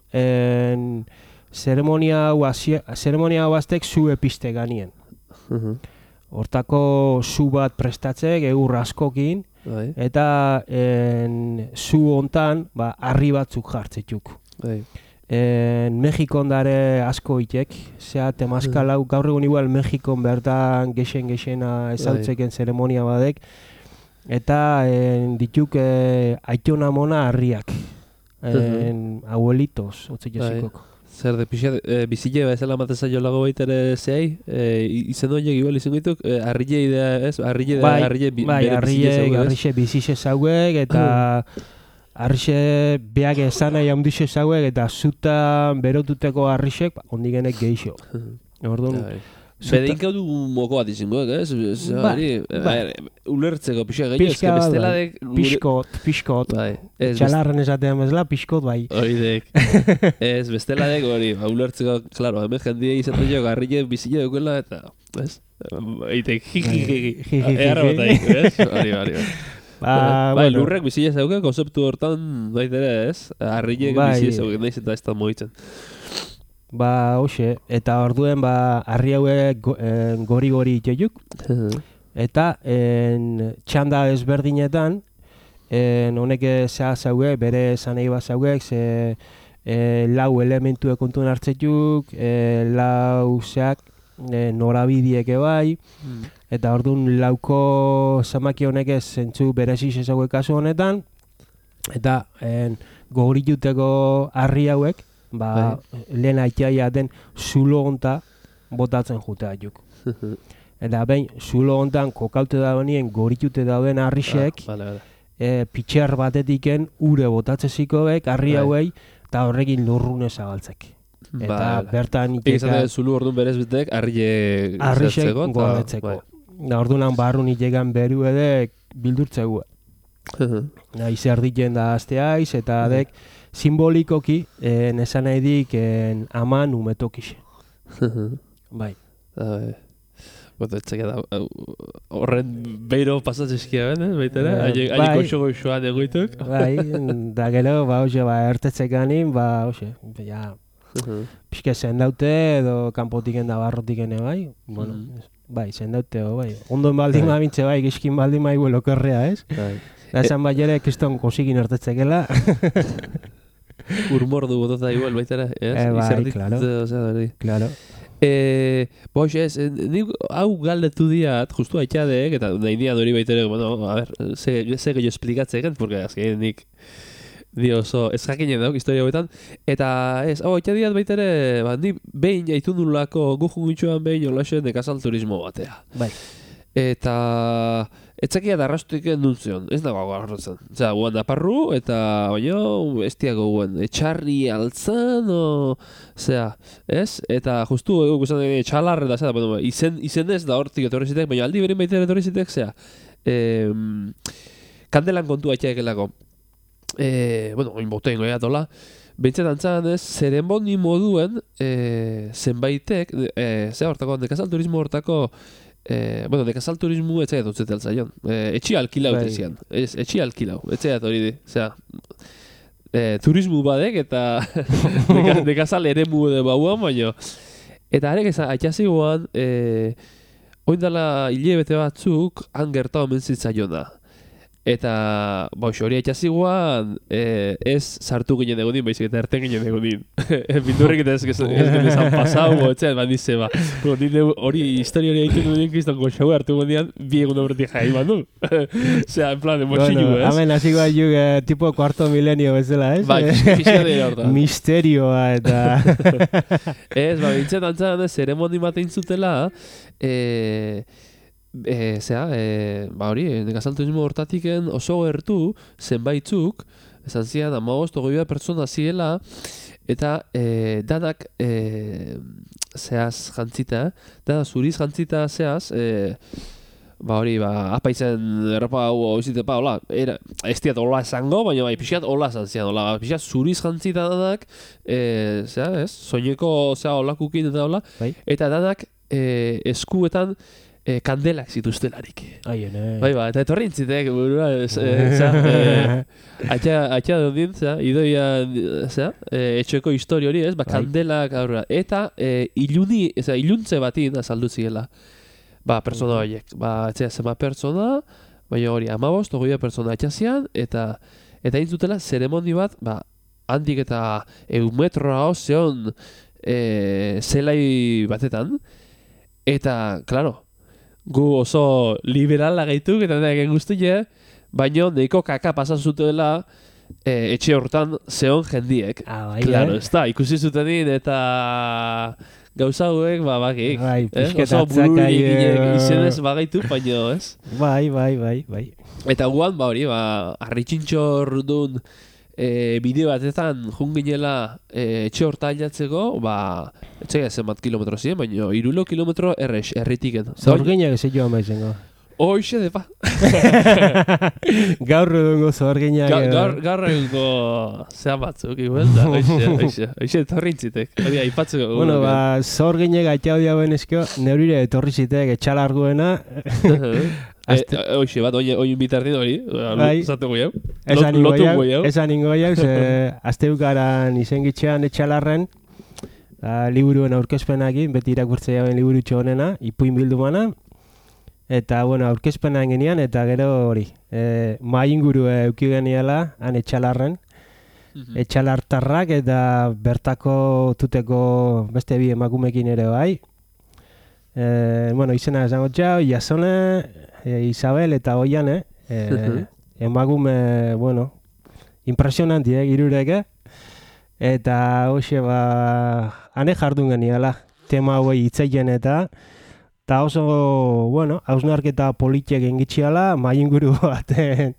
zeremonia hau aztek zu episte ganien. Hortako zu bat prestatzek, eur askokin, bai. Eta en, zu hontan ba, harri batzuk jartzetuk. Bai. En, Mexikon dare asko itek, zea temazkal hau, gaur egun igual Mexikon bertan gexen-gexena ezautzeken zeremonia badek, eta en, dituk e, aitona mona harriak, en, abuelitos, otzik ezikok. zer de pixat, e, bizile bezala mateza jolago baitere zehai, e, izen horiek igual izan gaituk, e, arrile idea, ez? Arrile, bai, arrile bi, bai, bere bizile arrile, zauek, ez? arrixe bizixe zauek, eta arrixe beak esan nahi handixe zauek, eta zutan berotuteko arrixek, ba, ondigenek geixo. Orduan, Bai. Bedein gau du moko bat izangoek, ez? Ez, Ba, hori, ba. e, ulertzeko pixa gehiago, ez Pixka que bat, bestela bai. dek... gure- Piskot, piskot. Bai, ez, best- Txalarren esatean bezala, piskot bai. hori dek. Ez, bestela dek, hori, ba, ulertzeko, klaro, hemen jendia izaten jo, garrile bizile dukela, eta, ez? Eitek, jiji, jiji, Jiji, egarra jiji. botaik, ez? Hori, hori, hori. Ba, Bai, bueno, lurrek bizile zauke, konzeptu hortan, baitere, ez? Arrilek Bai. bizile zauke, nahiz eta ez da moitzen. ba, hoxe, eta orduen, ba, harri hauek go, en, gori-gori itxoiuk, eta en, txanda ezberdinetan, en, honek zea zauek, bere zanei bat zauek, ze e, lau elementue kontuen hartzetuk, e, lau zeak, e, norabidieke bai, eta orduan lauko zamaki honek ez zentzu bereziz ezauek kasu honetan, eta en, gogorituteko harri hauek, ba, lehen aitzaia den zulo honta botatzen jutea juk. Eta behin, zulo hontan kokaute dagoenien goritute dauden harrisek, Ah, vale, vale. e, pitxer batetiken ure botatzezikoek harri Bai. hauei, eta horrekin lurrune zabaltzek. Eta Vale. bertan Nik izan iteka dut zulu orduan berez betek, arrile harrisek zertzeko, eta- gordetzeko. bai. Da orduan barrun itekan beru edek bildurtzegu. Da, izer diken da azteaiz, eta dek simbolikoki, en, esan nahi dik en, aman umetokixe. Bai. Bai. Bueno, etxeka da, hau, horren beiro pasatzezkia ben, eh, baitera? Eh, Haile bai. koxo goxoan egoituk. Bai, da gero, ba, hoxe, ba, ertetzekanin, ba, hoxe, ja, pixke zendaute edo kanpotiken da barrotiken bai, bueno, Mhm. bai, zendaute, o, bai. Ondon baldin Bai. mabintze, bai, gizkin baldin maigu lokerrea, ez? Bai. Da esan bai ere, kriston kosikin ertetzekela. Urmordu botota igual baitera, ez? Eh, bai, Izerdit, claro. Osea, berdi. Claro. Eh, boix, ez, eh, nik hau galdetu diat, justu aitxadek, eta nahi dian hori baitere, bueno, a ver, ze, ze gehiago esplikatzeken, porque azken nik di oso ez jakinen dauk historia hauetan, eta ez, hau aitxadiat baitere, ba, ni behin jaitu nulako gujun gitxuan behin olaxe nekazal turismo batea. Bai. Eta etzakia darrastuik endun ez dago agarrotzen. Osea, guan naparru, eta baino, estiago guen, etxarri altzan, o... Osea, ez? Eta justu egu guztan dene txalarre da, zera, bueno, izen, izen ez da hortik etorri zitek, baina aldi berin baita etorri zitek, zera, eh, kandelan kontu aitxaekelako. Eh, bueno, oin botein goia tola, Bentset antzan ez, zeremoni moduen, eh, zenbaitek, eh, zera hortako, nekazal turismo hortako, Eh, bueno, nekazal turismo etxea dutzete altzaion. Eh, etxi alkilau Bai. tezian. Ez, etxi alkilau. Etxea hori di. Osea, eh, turismo badek eta neka, nekazal eremu de bauan, baino. Eta arek ez aitxazioan, eh, oindala hilebete batzuk, han gerta omen zitzaiona. Eta, ba, hori aitxazioan, eh, ez sartu ginen egodin, baizik eta erten ginen egodin. Bindurrik eta ez genezan pasau, etxean, bat nize, ba. Nire hori historia hori egiten duen kriston goxau hartu gondian, bi egun horretik jai bandu. Osea, en plan, emotxillu, Bueno, ez? hemen hasi bat juk, eh, tipo cuarto milenio bezala, ez? Bai, pixka dira hortan. Misterioa eta... Ez, ba, bintzen antzan, ez, zeremoni batein zutela, eh, E, zera, e, ba hori, nekazal turismo hortatiken oso gertu zenbaitzuk, esan zian, amagost, ogoi bat pertsona ziela, eta e, danak e, zehaz jantzita, dana zuriz jantzita zehaz, e, ba hori, ba, apaitzen erropa hau izitepa, hola, era, ez diat hola esango, baina bai, pixat hola esan zian, hola, pixat zuriz jantzita danak, e, zera, ez, soineko, zera, holakukin eta hola, Bai. eta danak e, eskuetan, E, kandelak zituztelarik. Aien, eh. Bai, ba, eta etorri intzitek, burua, ez, e, za, e, atxa, atxa dondin, za, idoia, za, e, etxeko histori hori, ez, ba, Bai. kandelak aurra. Eta e, iluni, ez, iluntze batin azaldu ziela, ba, persona horiek. Ba, etxea, zema persona, baina hori, amabost, ogoia persona atxazian, eta, eta intzutela, zeremoni bat, ba, handik eta eumetroa ozeon e, zelai batetan, eta, klaro, gu oso liberala gaituk eta da egen guztia, baino neiko kaka pasan zutela e, etxe hortan zeon jendiek. Ah, bai, Claro, eh? ez da, ikusi zutenin eta gauza hauek, ba, bakik. Bai, eh? pixket Oso atzakaie, bururik izenez bagaitu, baino, ez? Bai, bai, bai, bai. Eta guan, ba hori, ba, arritxintxor dun e, bideo batetan junginela e, etxe horta ailatzeko, ba, etxega zenbat kilometro ziren, baino, irulo kilometro errex, erritiken. Zorginak ez joan baizengo. Hoxe de pa. Gaur edungo zorginak. Ga- Gaur gaur egungo zean batzuk, igual, da, hoxe, hoxe, hoxe etorri intzitek. Hori, aipatzeko. Bueno, ba, zorginak atxau diauen esko, neurire etorri zitek etxalarguena. Azte... E, hoxe, bat, oin bitardin hori, Bai. zateko jau. Esan ingo Lotu jau, jau. esan ingo jau, ze azteukaran izengitxean etxalarren, ba, liburuen aurkezpenakin, beti irakurtzea jauen liburutxo honena, ipuin bildumana, eta, bueno, aurkezpena genian, eta gero hori, e, mai inguru euki geniala, han etxalarren, Mhm. etxalartarrak, eta bertako tuteko beste bi emakumekin ere bai. E, bueno, izena esango txau, Jasone, e, Isabel eta Oiane, e, Mhm. emakume, bueno, impresionanti, eh, girureke. Eta, hoxe, ba, hane jardun geniala, tema hauei hitzeien eta, eta oso, bueno, hausnarketa politiek engitxiala, mai inguru baten,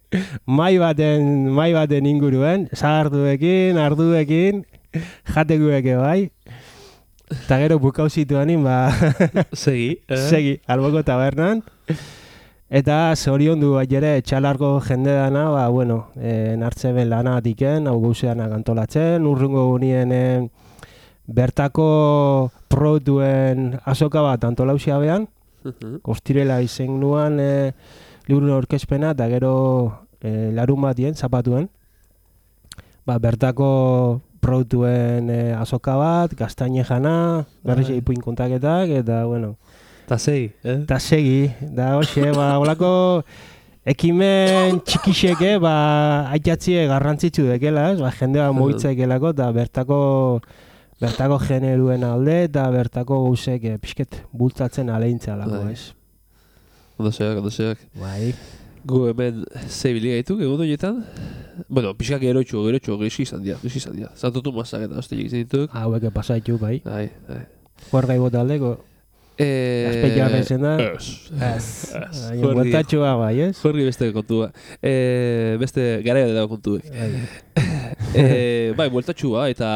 mai baten, mai baten inguruen, zaharduekin, arduekin, jatekueke bai. Eta gero bukau zituanin, ba, Segi, eh? segi, alboko tabernan. Eta zoriondu bai ere etxalarko jende dana, ba, bueno, e, nartze ben lanatiken, hau gauzeanak antolatzen, urrungo gunien e, bertako produktuen azoka bat antolausia behan, Mhm. ostirela izen nuan e, liburuen aurkezpena, eta gero e, larun batien, zapatuen, ba, bertako produktuen e, azoka bat, gaztaine jana, berriz Bai. ipuin kontaketak, eta, bueno, Ta segi, eh? eta segi, da hoxe, ba, holako ekimen txikixeke, ba, aitatzie garrantzitsu dekela, ez? Ba, jendea mugitzaikelako, eta bertako, bertako generuen alde, eta bertako gauzek eh, pixket bultzatzen aleintzealako, Bai. ez? Ondo zeak, ondo zeak. Bai. Gu hemen zebili gaituk, egun horietan. Bueno, pixkak gerotxo, gerotxo, gizki izan dira, gizki izan dira. Zantotu mazak eta hoste egiten dituk. Haueke pasaitu, bai. Bai, bai. Juargai bota aldeko, Eh, azpeiak izen da. Ez. Ez. Ez. Baina Jordi- bueltatxoa, bai, ez? Jordi beste kontua. Eh, beste garaia dago kontuek. Bai. eh, bai, bueltatxua eta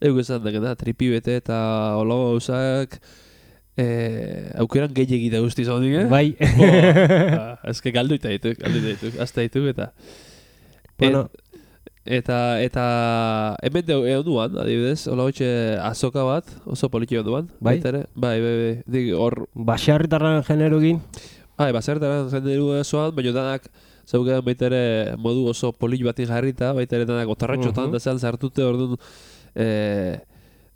euk esan dakena, tripi bete eta olago gauzak eh, aukeran gehiagi da guzti zaudik, eh? Bai. Boa, ezke galdu eta dituk, galdu eta dituk, azta dituk eta... Bueno, Eta, eta, hemen deu egon duan, adibidez, hola hotxe azoka bat, oso poliki egon duan. Bai? baita ere. Bai, bai, bai, dik hor, baserritarran generugin, bai, basertaren jenderu zoan, baina danak, zeugean baita ere modu oso polik batin jarrita, baita ere danak otarratxotan, Mhm. da zean zartute orduan, eh,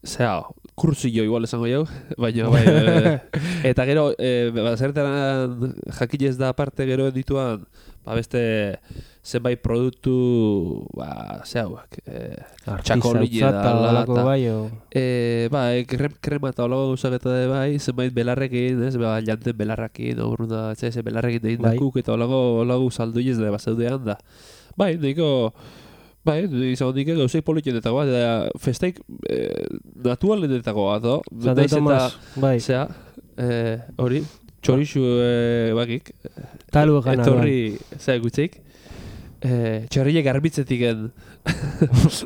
zera, kursillo igual esango jau, baina bai, bai, eta gero, eh, basertaren jakinez da aparte gero dituan, ba beste zenbait produktu, ba, zehauak, eh, txakolile da, artizautza ala, eta eta- bai, o... Eh, ba, eh, krem, krema eta olago gauzak eta de bai, zenbait belarrekin, ez, ba, janten belarrakin, urruna, ez, ez, belarrekin egin Bai. dakuk, eta olago, olago salduiez da, bazeudean da. Bai, niko, bai, izan nik gauzei politxenetako bat, eta festeik eh, naturalentako bat, no? Zate Naiz eta, Tomas, bai, zera, eh, hori, txorixu eh, bakik, talu gana etorri, zera gutzeik, eh, txorrile garbitzetik en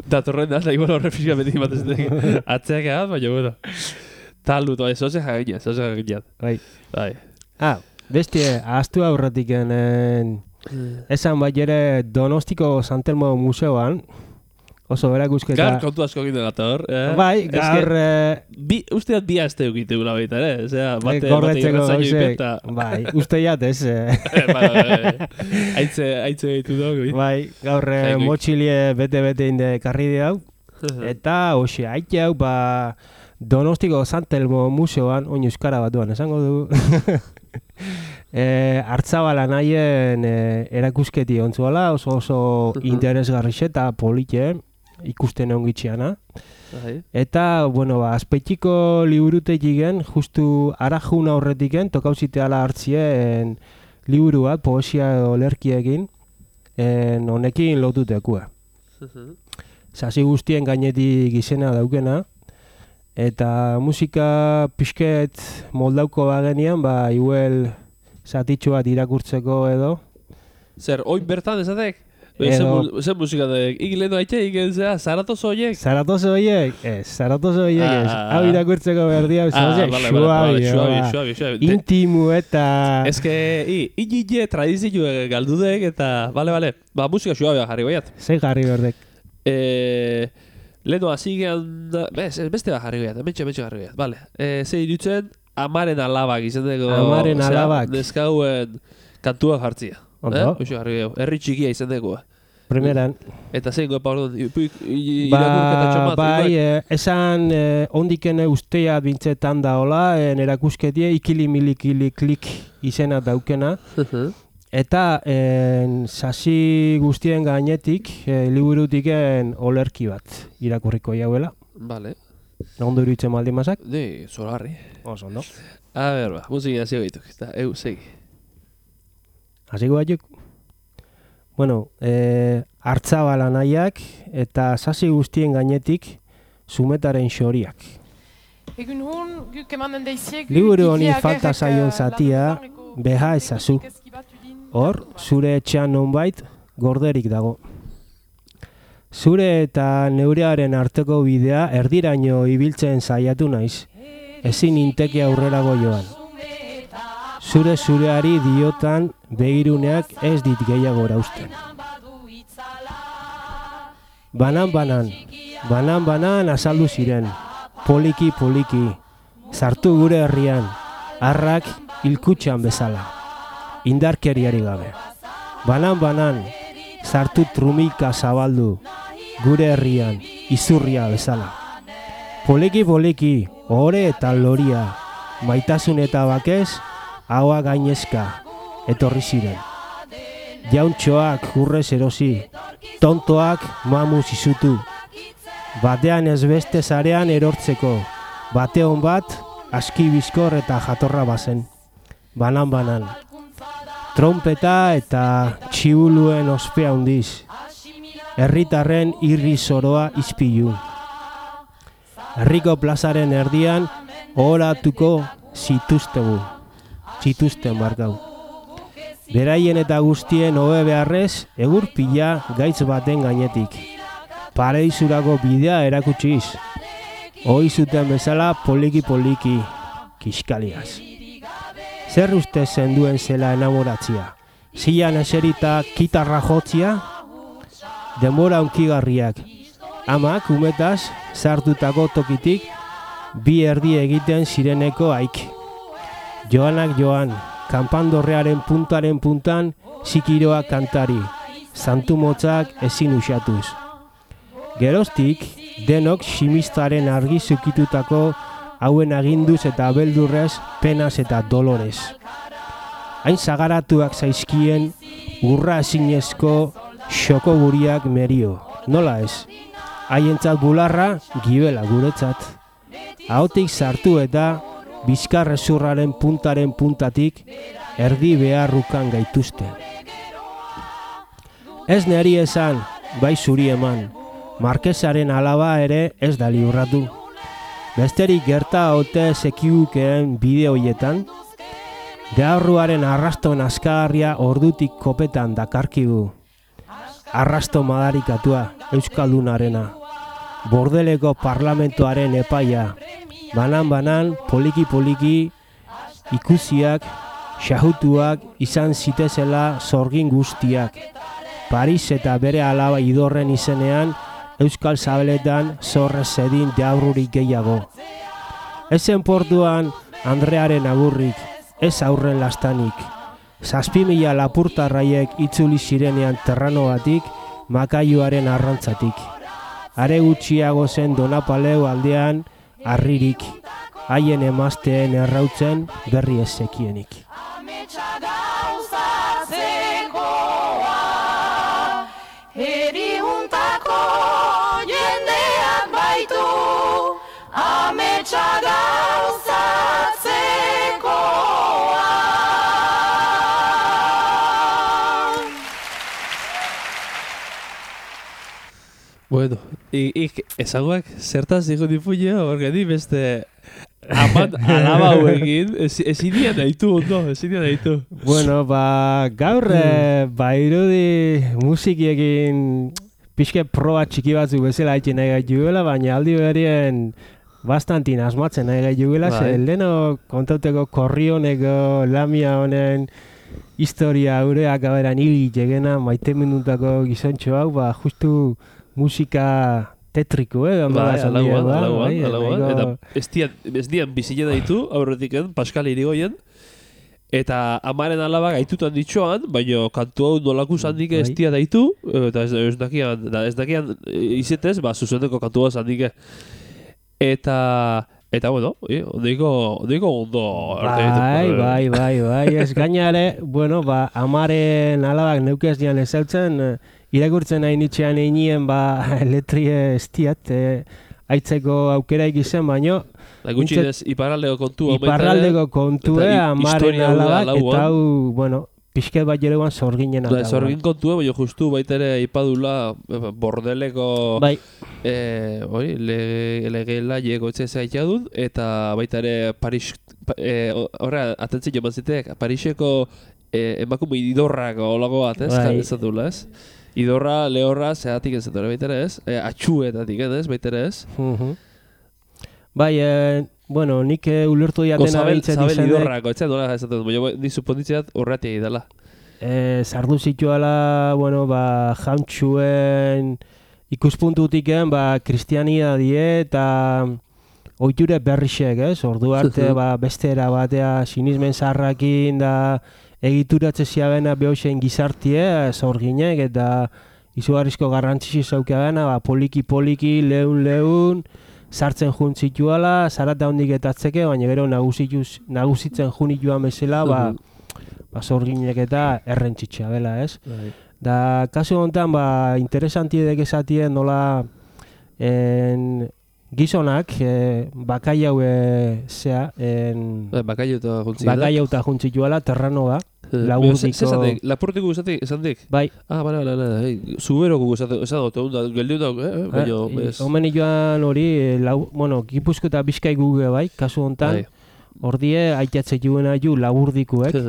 datorren da, eta igual horre fiska beti bat ez dek, atzeak egat, baina, bueno, talu, to, ez oze jagina, ez oze jagina. bai. Bai. Ah, beste, ahaztu aurretik en, esan bai ere Donostiko Santelmo Museoan, oso berakusketa... Gaur kontu asko egin delator, eh? Bai, Eske, gaur... eh, Bi, usteat bi aste eukite gula baita, ere? Osea, bate, bate gordetzeko irratzaio gauzek, ipeta. bai, uste jat ez, eh. Bai, bai, aitze, aitze gaitu dugu. Bai, gaur eh, Jaikoik. motxilie bete-bete inde karri hau, eta hoxe, haite hau, ba, Donostiko Santelmo Museoan, oin euskara batuan, esango du. e, Artzabala nahien e, erakusketi ontzuala, oso oso interesgarrixe eta polite, ikusten ongitxiana. Bai. Eta, bueno, ba, azpeitiko liburutegiken, justu arajuna horretiken, tokauziteala hartzien liburu bat, poesia edo lerkiekin, en, honekin lotutekua. Sasi guztien gainetik izena daukena. Eta musika pixket moldauko bagenian, ba, igual zatitxo bat irakurtzeko edo. Zer, oin bertan ezatek? Edo... Zer musika da, ikilendo haitxe, ikilendea, zaratoz horiek? Zaratoz horiek? Ez, zaratoz horiek ez. Hau irakurtzeko berdia, suabi, suabi. Intimu eta... Ez que, inile tradizio galdudek eta, bale, bale, ba, musika suabia jarri baiat. Zei jarri berdek? Eh, leheno hasi gehan, beste bat jarri baiat, mentxe, mentxe jarri baiat, bale. Eh, Zei dutzen, amaren alabak izan dugu... Amaren alabak. Neskauen kantua jartzia. Ondo. Eh? Herri txikia izan dugu. Primeran. Eta zein gopa orduan, irakurketa txomat. Bai, eh, esan eh, ondikene ustea bintzetan da hola, en erakusketie ikili milikili klik izena daukena. Eta en, sasi guztien gainetik, eh, liburutiken olerki bat irakurriko jauela. Vale. Ondo iruditzen maldin mazak? Di, zolarri. Oso, ondo. A ber, ba, musika zio gaituk. Eta, eu, segi. Hasiko batzuk? Bueno, eh, hartzabala nahiak eta sasi guztien gainetik zumetaren xoriak. Liburu honi falta zaion zatia beha ezazu. Hor, zure etxean nonbait gorderik dago. Zure eta neurearen arteko bidea erdiraino ibiltzen saiatu naiz. Ezin inteke aurrerago joan. Zure zureari diotan begiruneak ez dit gehiago erausten. Banan-banan, banan-banan azaldu ziren, poliki-poliki, sartu gure herrian, harrak hilkutxan bezala, indarkeriari gabe. Banan-banan, sartu trumika zabaldu, gure herrian, izurria bezala. Poliki-poliki, ohore eta loria, maitasun eta bakez, haua gainezka, etorri ziren. Jauntxoak urrez erosi, tontoak mamuz izutu. Batean ez beste zarean erortzeko, bate hon bat, aski bizkor eta jatorra bazen. Banan-banan. Trompeta eta txibuluen ospea hundiz. Herritarren irri zoroa izpilu. Herriko plazaren erdian, ohoratuko zituztegu. Zituzten barkau. Beraien eta guztien hobe beharrez, egur pila gaitz baten gainetik. Paradizurako bidea erakutsiz. Hoi zuten bezala poliki-poliki, kiskaliaz. Zer uste zenduen zela enamoratzia? Zilan eserita kitarra jotzia? Denbora unkigarriak. Amak umetaz sartutako tokitik bi erdi egiten zireneko haik. Joanak joan, kanpandorrearen puntaren puntan zikiroak kantari, santu motzak ezin usatuz. Geroztik, denok ximistaren argi zukitutako hauen aginduz eta beldurrez, penaz eta dolorez. Hain zagaratuak zaizkien, urra ezinezko xoko guriak merio, nola ez? Haientzat bularra, gibela guretzat. Ahotik sartu eta bizkarrezurraren puntaren puntatik erdi beharrukan gaituzte. Ez neri esan, bai zuri eman, markesaren alaba ere ez da liurratu. Besterik gerta ote sekigukeen bideoietan, dearruaren arrasto nazkagarria ordutik kopetan dakarkigu. Arrasto madarikatua, euskaldunarena, bordeleko parlamentoaren epaia, banan-banan, poliki-poliki, ikusiak, xahutuak izan zitezela zorgin guztiak. Paris eta bere alaba idorren izenean, Euskal Zabeletan zorrez zedin deaurrurik gehiago. Ezen portuan Andrearen agurrik, ez aurren lastanik. Zazpi mila lapurtarraiek itzuli zirenean terrano batik, makaiuaren arrantzatik. Are gutxiago zen Donapaleu aldean, arririk, haien emazteen errautzen berri ez zekienik. Bueno, ik esangoak zertaz digo difuña, porque di beste aman alaba hauekin, ezin dian nahitu ondo, ezin dian nahitu. Bueno, ba, gaur, eh, ba, irudi musikiekin pixke proba txiki batzu bezala haitxe nahi gaituela, baina aldi berien bastantin asmatzen nahi gaituela, ze leheno kontauteko korrioneko lamia honen historia ureak aberan hili jegena maite minutako gizontxo hau, ba, justu musika tetriko, eh? Bai, alauan, alauan, alauan. Eta ez dian bizile ditu, aurretiken, Pascal Irigoyen, eta amaren alaba gaitutan ditxoan, baina kantu hau nolaku zandik ez dia daitu, eta ez dakian, ez dakian izetez, ba, zuzendeko kantu hau zandik. Eta... Eta, bueno, ondiko, ondiko ondo... Bai, bai, bai, bai, ez gainare, bueno, ba, amaren alabak neukez dian ezautzen, irakurtzen hain itxean einien, ba, letrie estiat, eh, aitzeko aukera ikizen, baino... Da gutxinez, iparraldeko kontu... Iparraldeko kontu, amaren alabak, eta hau, bueno, pixket bat jereguan zorginen alabak. Zorgin kontu, baina justu baitere ipadula bordeleko... Bai. Eh, oi, legela lego etxe zaitea dut, eta baita ere Paris, eh, horra, atentzio joan zitek, Pariseko eh, emakume idorrak olago bat, ez? Bai. Ez dula, ez? Idorra, lehorra, zehatik ez dut, baita ere ez? Eh, atxuetatik ez, baita ere ez? Uh-huh. Bai, eh, bueno, nik ulertu diatena behitzen izanek... Zabel idorrako, etxe nola ez dut, baina ni suponditzeat horretik idala. Eh, zardu zituala, bueno, ba, jantxuen... Ikuspuntutik ba, kristiania die eta ohiture berrixek, ez? Ordu arte ba, beste era batea sinismen zarrakin da egituratze ziabena behoxen gizartie, zorginek eta izugarrizko garrantzisi zaukabena, ba, poliki-poliki, leun-leun, sartzen juntzituala, zarata hondik etatzeke, baina gero nagusitzen junituan bezala, ba, ba, zorginek eta errentzitxea bela, ez? Da, kasu honetan, ba, interesantiedek esatien nola en, gizonak, e, bakai hau zea, bakai hau eta juntzituala, terranoa, laburdiko... Lapurtiko guzatik, esan dik? Bai. Ah, bale, bale, bale, zuberoko guzatik, esan dut, geldiun dauk, eh? Baina, Omen joan hori, bueno, Gipuzko eta Bizkai guge bai, kasu honetan, ordie, aitatze juena ju laburdikoek,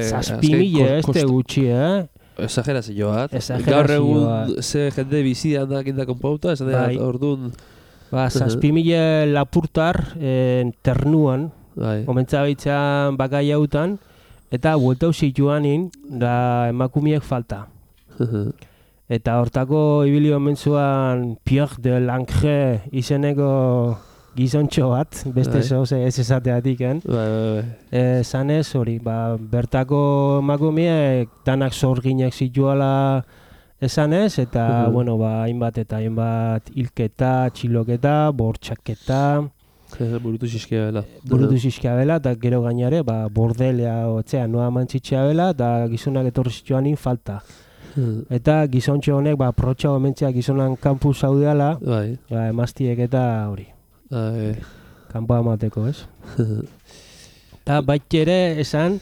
zazpimile ez te gutxi, eh? Exagerazio bat. Gaur egun ze jende bizidan da kindakon pauta, esan da, orduan... Ba, zazpimile lapurtar ternuan, omentza behitzen bakai hautan, eta bueltau zituanin, da emakumiek falta. Eta hortako ibili omentzuan Pierre de Langre izeneko gizontxo bat, beste zoze ez esateatik, eh? Zanez hori, ba, bertako emakumiek danak zorginek zituala esanez, eta, bueno, ba, hainbat eta hainbat hilketa, txiloketa, bortxaketa... Burutu zizkia bela. Burutu zizkia bela, eta gero gainare, ba, bordelea, otzea, noa mantzitxea bela, eta gizonak etorri zituanin falta. Eta gizontxo honek, ba, protxa omentzea gizonan kanpu zaudeala, ba, emaztiek eta hori. Kanpoa emateko, ez? Eta baita ere esan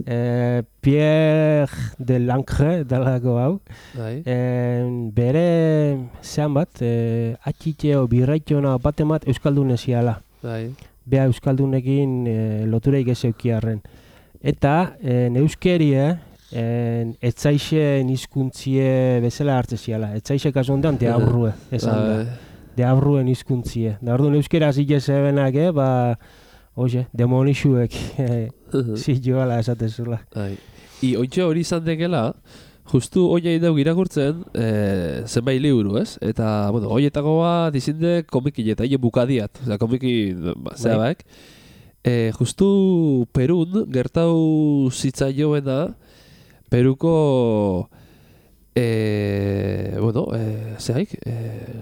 eh, Pierre de Langre dalako hau eh, bere zean bat eh, atxitxeo birraitxona bat emat Euskaldun eziala. Bea Euskaldunekin eh, lotureik ez eukiarren. Eta eh, euskerie eh, etzaixen hizkuntzie bezala hartze ziala. Etzaixek kasu honetan te aurrue, esan da. De aurruen hizkuntzie. Da orduan euskera zile zebenak, eh, ba, oye, demonixuek zilloala esatezula. I ointxe hori izan dekela, justu oinai dauk irakurtzen eh, zenbait liburu, ez? Eta, bueno, oietako bat izinde komikin eta hile bukadiat, oza, komikin, ba, zeabaek. Eh, justu Perun gertau zitzaioena, Peruko... E, bueno, e, zehaik, e,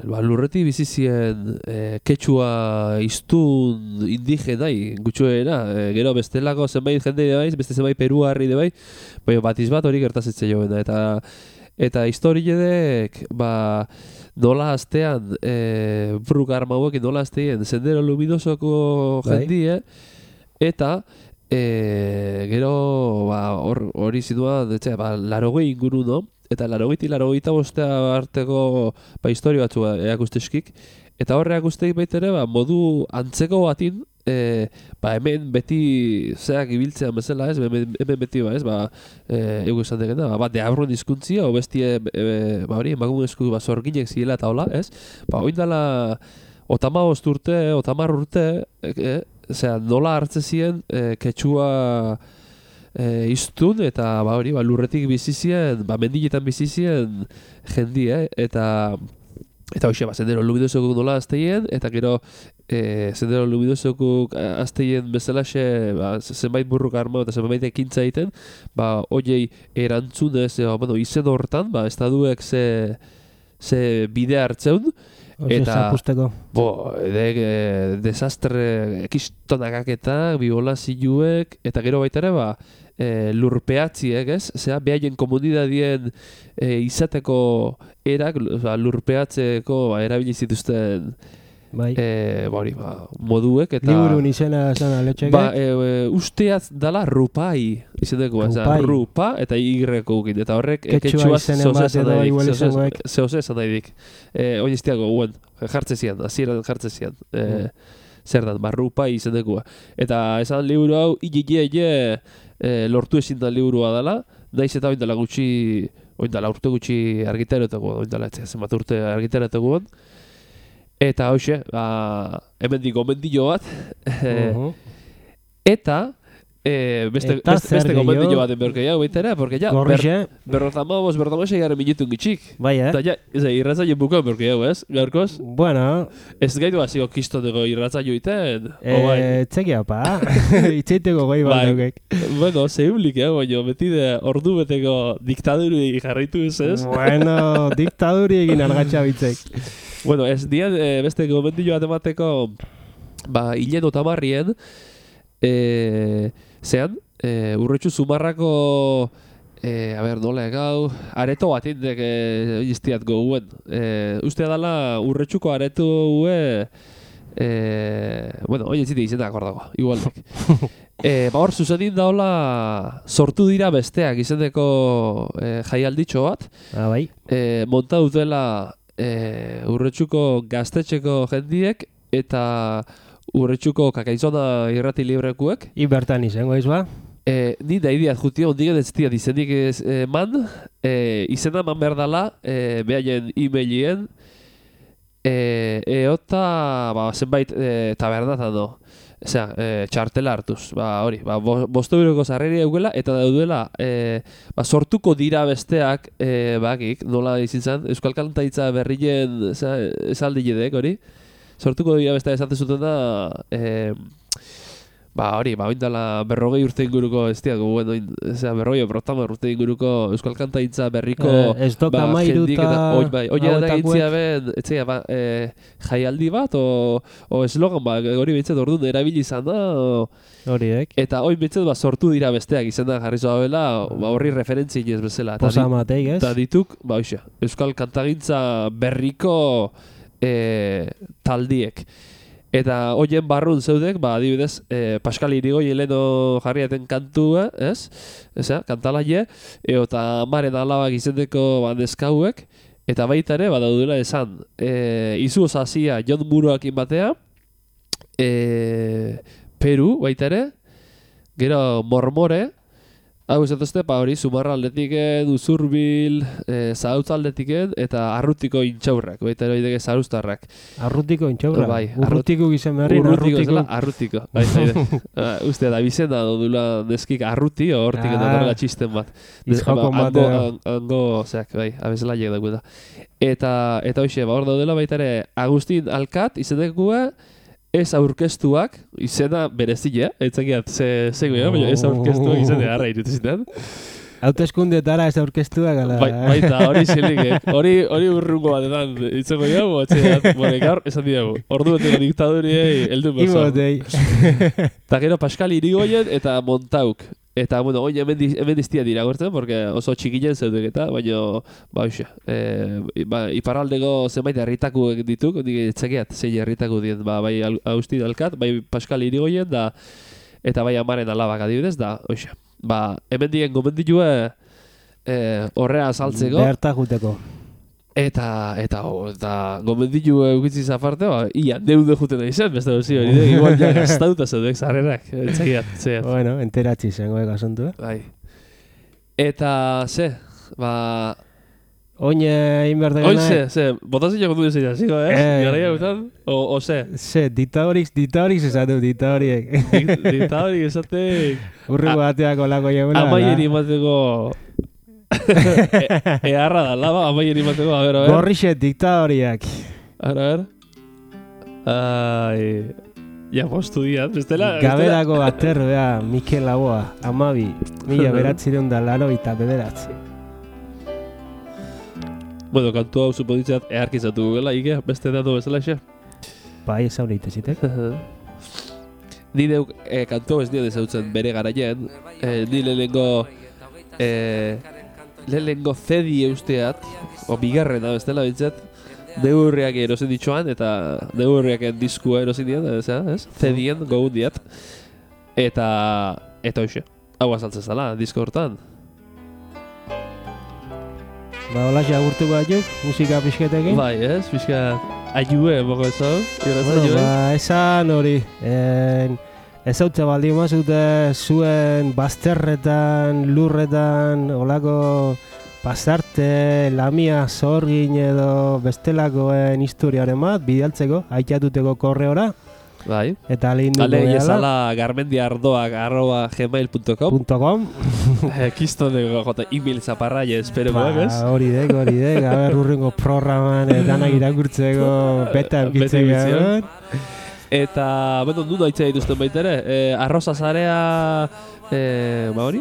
ba, lurretik bizizien e, ketxua iztun indigenai gutxuera, e, gero bestelako zenbait jende de baiz, beste zenbait peruarri de bai, baina batiz bat hori gertazitzen joena, eta eta historiedek, ba, nola aztean, e, bruk arma hauekin nola aztean, Sendero Luminosoko jendie, eta E, gero hori ba, zidua, ba, larogei inguru, no? eta larogeita larogeita bostea arteko ba, historio batzu erakusteskik, eta horre erakusteik baitere ba, modu antzeko batin, E, ba hemen beti zeak ibiltzean bezala, ez? Hemen, hemen beti ba, ez? Ba, eh ego esan degena, ba, bat deabruen hizkuntzia o bestie e, ba hori emakumezko ba sorginek ziela eta hola, ez? Ba oindala otamabost urte, otamar urte, eh, osea, nola hartze zien e, ketsua e, iztun eta ba hori, ba lurretik bizi zien, ba mendiletan bizi zien jendi, eh? Eta Eta hoxe, ba, Sendero Luminosokuk nola azteien, eta gero e, Sendero Luminosokuk azteien bezalaxe ba, zenbait burruk arma eta zenbait ekintza egiten, ba, hoiei erantzunez, e, bueno, izen hortan, ba, estaduek ze, ze bide hartzeun, eta, zapusteko. Bo, de, e, desastre ekistonakaketak, biolazioek, eta gero baita ere, ba, E, lurpeatziek, ez? Zea, behaien komunidadien e, izateko erak, ba, lurpeatzeko ba, erabili zituzten bai. e, ba, hori, ba, moduek, eta... Liburun izena zena letxeke? Ba, e, e, usteaz dala rupai izendeko, rupai. Rupa eta igreko gukin, eta horrek ketxua izenen bat edo igual izangoek. Zehose esan nahi dik. E, Oin iztiago, guen, jartze zian, azieran jartze zian. E, mm. Zer dan, ba, rupai izendekua. Eta esan liburu hau, ije, ije, ije, E, lortu ezin da liburua dela, naiz eta oindala gutxi, oindala urte gutxi argitaretako, oindala ez zenbat urte argitaretako. Eta hoxe, ba, hemendik gomendio bat, uh-huh. eta e, beste, eta beste, beste gomendio bat enberke jau, baitera, porque ja, ber, berrozamabos, berrozamabos egaren minutun gitxik. Bai, eh? Eta ja, ez da, irratzaio buko enberke jau, ez, gaurkoz? Bueno. Ez gaitu hasiko kistoneko irratzaio iten? E, txekia, pa. Itxeiteko goi bat daukek. Bueno, zehublik, eh, baina beti de ordu beteko diktaduri jarraitu ez, ez? Bueno, diktaduri egin argatxa bitzek. Bueno, ez dian e, beste gomendio bat emateko, ba, hilen otamarrien, e, zean, e, urretxu zumarrako, e, a ber, nola egau, areto bat indek e, iztiat goguen. E, ustea dala urretxuko areto gue, e, bueno, oin ez zite izen da akordago, igualdek. e, ba hor, zuzenin daola sortu dira besteak izendeko e, jaialditxo bat. Ah, bai. E, monta dutela e, urretxuko gaztetxeko jendiek eta urretxuko kakaizona irrati librekuek. Ibertan izango izba? E, ni da idiat jutia, ondigen ez diat izenik ez, e, man, e, izena man behar dala, e, behaien e-mailien, e, eota, ba, zenbait e, tabernatan do. Osea, e, txartela hartuz, ba, hori, ba, bosto euroko sarreri eukela, eta daudela, e, ba, sortuko dira besteak, e, bakik, nola izin zen, Euskal Kantaitza berrien, esaldi jedek, hori, sortuko dira besteak esaten zuten da, e, ba, hori, ba, oindala berrogei urte inguruko, ez diago, bueno, ezea, berrogei protamar urte inguruko Euskal Kantaitza berriko, eh, ez doka ba, mairuta, oi, bai, oie da gintzia ben, etzea, ba, e, jaialdi bat, o, o eslogan, ba, hori bintzat orduan erabili izan da, horiek. Eta hori bintzat, ba, sortu dira besteak izan da jarri zoa bela, ba, horri referentzi inez bezala. Posa mateik, ez? Eta dituk, ba, oixa, Euskal Kantagintza berriko e, taldiek. Eta hoien barrun zeudek, ba, adibidez, e, Pascal Irigo heleno jarriaten kantua, ez? Eza, kantalaie, eta maren alabak izendeko ba, neskauek, eta baita ere, ba, daudela esan, e, izu osazia Jon Muroakin batea, e, Peru, baita ere, gero Mormore, hau esatuzte, pa hori, Zumarra aldetiken, Uzurbil, e, Zautz aldetiken, eta Arrutiko intxaurrak, baita ere oideke Zaruztarrak. Arrutiko intxaurrak? Bai. Urrutiko gizen berri, Urrutiko. Zela, Arrutiko. Baita ere. uh, Uste da, bizena dudula neskik Arruti, o hortik ah, edo txisten bat. Izjoko bat. Ango, ango, zeak, bai, abezelaiek dago da. Eta, eta hoxe, ba, hor daudela baita ere, Agustin Alkat, izendekua, ez aurkeztuak, izena berezile, etzakiat, ze, ze goia, baina ez aurkeztuak izena garra irutuzitan. Hauteskundetara ez aurkeztuak, ala... Bai, baita, hori zilik, eh? Hori, hori urrungo batetan, itzeko jau, atxeat, bore, gaur, esan diago, ordu beteko diktaduriei, eldu berzo. Imotei. Eta gero Pascal Irigoyen eta Montauk. Eta, bueno, oin hemen, hemen diztia dira gortzen, porque oso txikinen zeudek eta, baina, ba, oixe, e, ba, iparraldeko zenbait herritakuek dituk, nik etxekiat zein herritaku dien, ba, bai Agustin Alkat, bai Pascal Irigoyen, da, eta bai amaren alabak adibidez, da, oixe. Ba, hemen dien gomendilue, eh, horrea saltzeko. Berta juteko. Eta, eta, oh, eta gomenditu eukitzi zaparte, ba, ia, neude juten da izan, beste dozi hori, igual ja gaztauta zeudek zarrenak, etxegiat, zeat. Bueno, enteratzi zengo eka asuntu, eh? Bai. Eta, ze, ba... Oin egin behar degana... Oin ze, ze, botazio du izan ziko, eh? Eh. Garaia gutan, o, o ze? Ze, ditadorik, ditadorik esatu, ditadorik. Ditadorik esatek... Urrengo bateako lako jeguna. Amaieri mateko... Eharra da, laba, amaieri mateko, a ver, a ver. Gorrixe diktadoriak. A ver, a ver. Ai... Ja, postu diat, bestela... Gaberako aterro, ja, Mikel Laboa, amabi, mila beratzireun da laro eta bederatzi. Bueno, kantu hau supoditzat eharkizatu gela, Ike, beste datu bezala xe. Bai, ez hau lehitu zitek. Ni deuk eh, kantu ez nio dezautzen bere garaien, eh, ni lehenengo... Eh, lehenengo zedi eusteat, o bigarrena bestela bintzat, neurriak erosin ditxoan, eta neurriaken diskua erosin diat, ez, ez? Zedien gogun diat. Eta, eta hoxe, hau azaltzen zala, disko hortan. Ba, hola agurtuko batzuk, musika pixketekin. Bai, ez? Pixka, aiue, boko ez hau? Bueno, ba, esan hori, en, ez hautza baldin mazute zuen bazterretan, lurretan, olako pasarte, lamia, zorgin edo bestelakoen historiaren bat, bidaltzeko, aitatuteko korreora. Bai. Eta lehinduko Ale, gehala. ezala garmendiardoak arroba gmail punto com. .com. Kistoneko jota e-mail zaparraia espero Ba, ez? hori dek, hori dek, haber urrengo programan danak irakurtzeko beta eukitzeko. Bete Eta, bueno, nuna aitzea dituzten baita ere, eh, arroza zarea, eh, ba hori,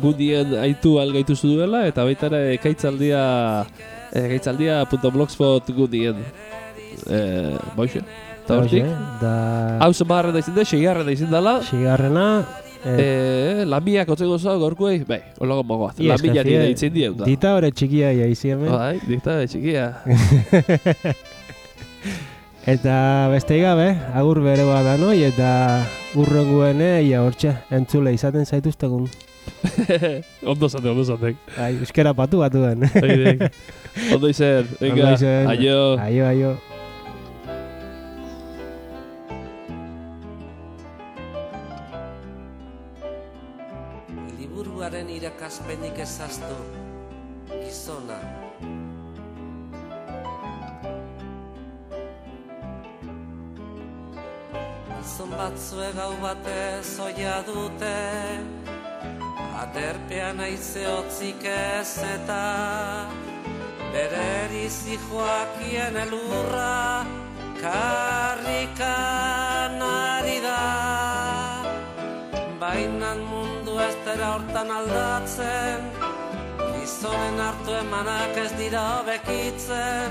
gundien aitu algaituzu duela, eta baita ere ekaitzaldia, ekaitzaldia punto blogspot gundien, eh, boixe. Eta hortik, hau zenbarren da izin da, segiarren da izin dela, Sigarrena, eh, lamiak otzeko zau gorkuei, bai, olago mogoaz, lamia nire da itzen dien da. dita hori txikia jaizi hemen. Bai, dikta txikia. Eta beste gabe, agur bere da noi, eta urrenguen ia hortxe, entzule izaten zaituztegun. Ondo zatek, ondo zatek. Ai, euskera patu batuen. Ondo izen, venga, aio. Aio, aio. Liburuaren irakaspenik ezaztu, gizona. Gizon batzue gau batez oia dute, aterpean aize hotzik ez eta bere erizi joakien elurra karrikan ari da. Bainan mundu ez dira hortan aldatzen, gizonen hartu emanak ez dira hobekitzen,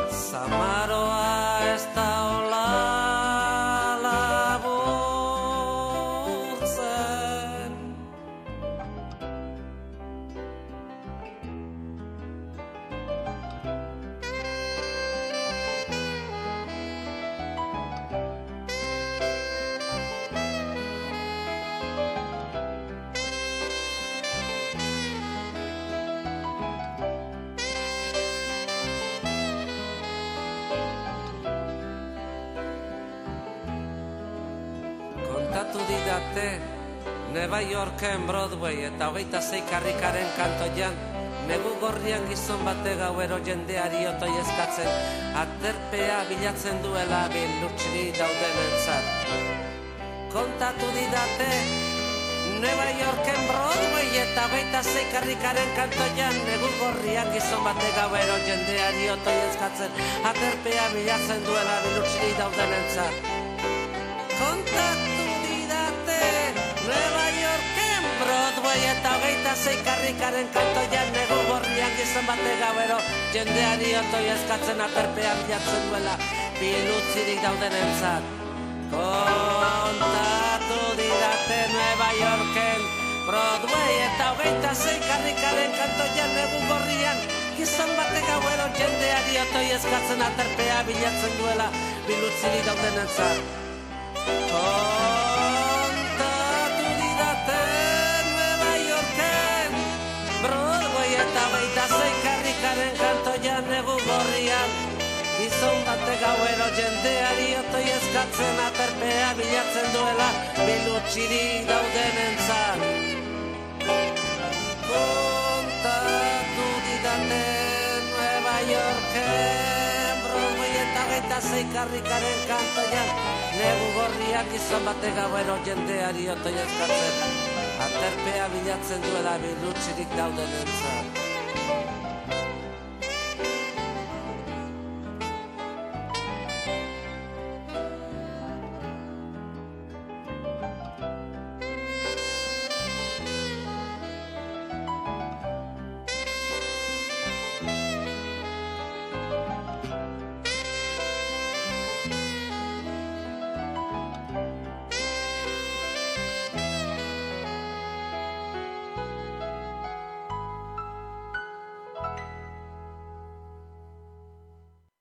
zamaroa ez da hola laburtzen. Kontatu didate Neva Yorken Broadway eta hogeita zei karrikaren kantoian, negu gorrian gizon bate gauero jendeari otoi eskatzen, aterpea bilatzen duela bilurtsiri daudenentzat. Kontatu didate Neva Yorken Broadway eta hogeita zei karrikaren kantoian, negu gorrian gizon bate gauero jendeari otoi eskatzen, aterpea bilatzen duela bilurtsiri daudenentzat. Kontatu didate Nueva Yorken Broadway eta hogeita zei karrikaren kantoian, negu gorrian gizon bate gauero jendeari otoi eskatzen, aterpea bilatzen duela bilutzirik daudenentzat. Kontatu didate Nueva Yorken Broadway eta hogeita zei karrikaren kantoian, negu gorrian gizon bate gauero jendeari otoi eskatzen, aterpea bilatzen duela bilutzirik daudenentzat. Kontatu didate Nueva Yorken Broadway gizon bate gauero jendeari otoi eskatzen aterpea bilatzen duela bilutsirik daudenentzat. Kontatu didate Nueva Yorken Broadway eta hogeita sei karrikaren kantoian negu gorriak gizon bate gauero jendeari otoi eskatzen aterpea bilatzen duela bilutsirik daudenentzat.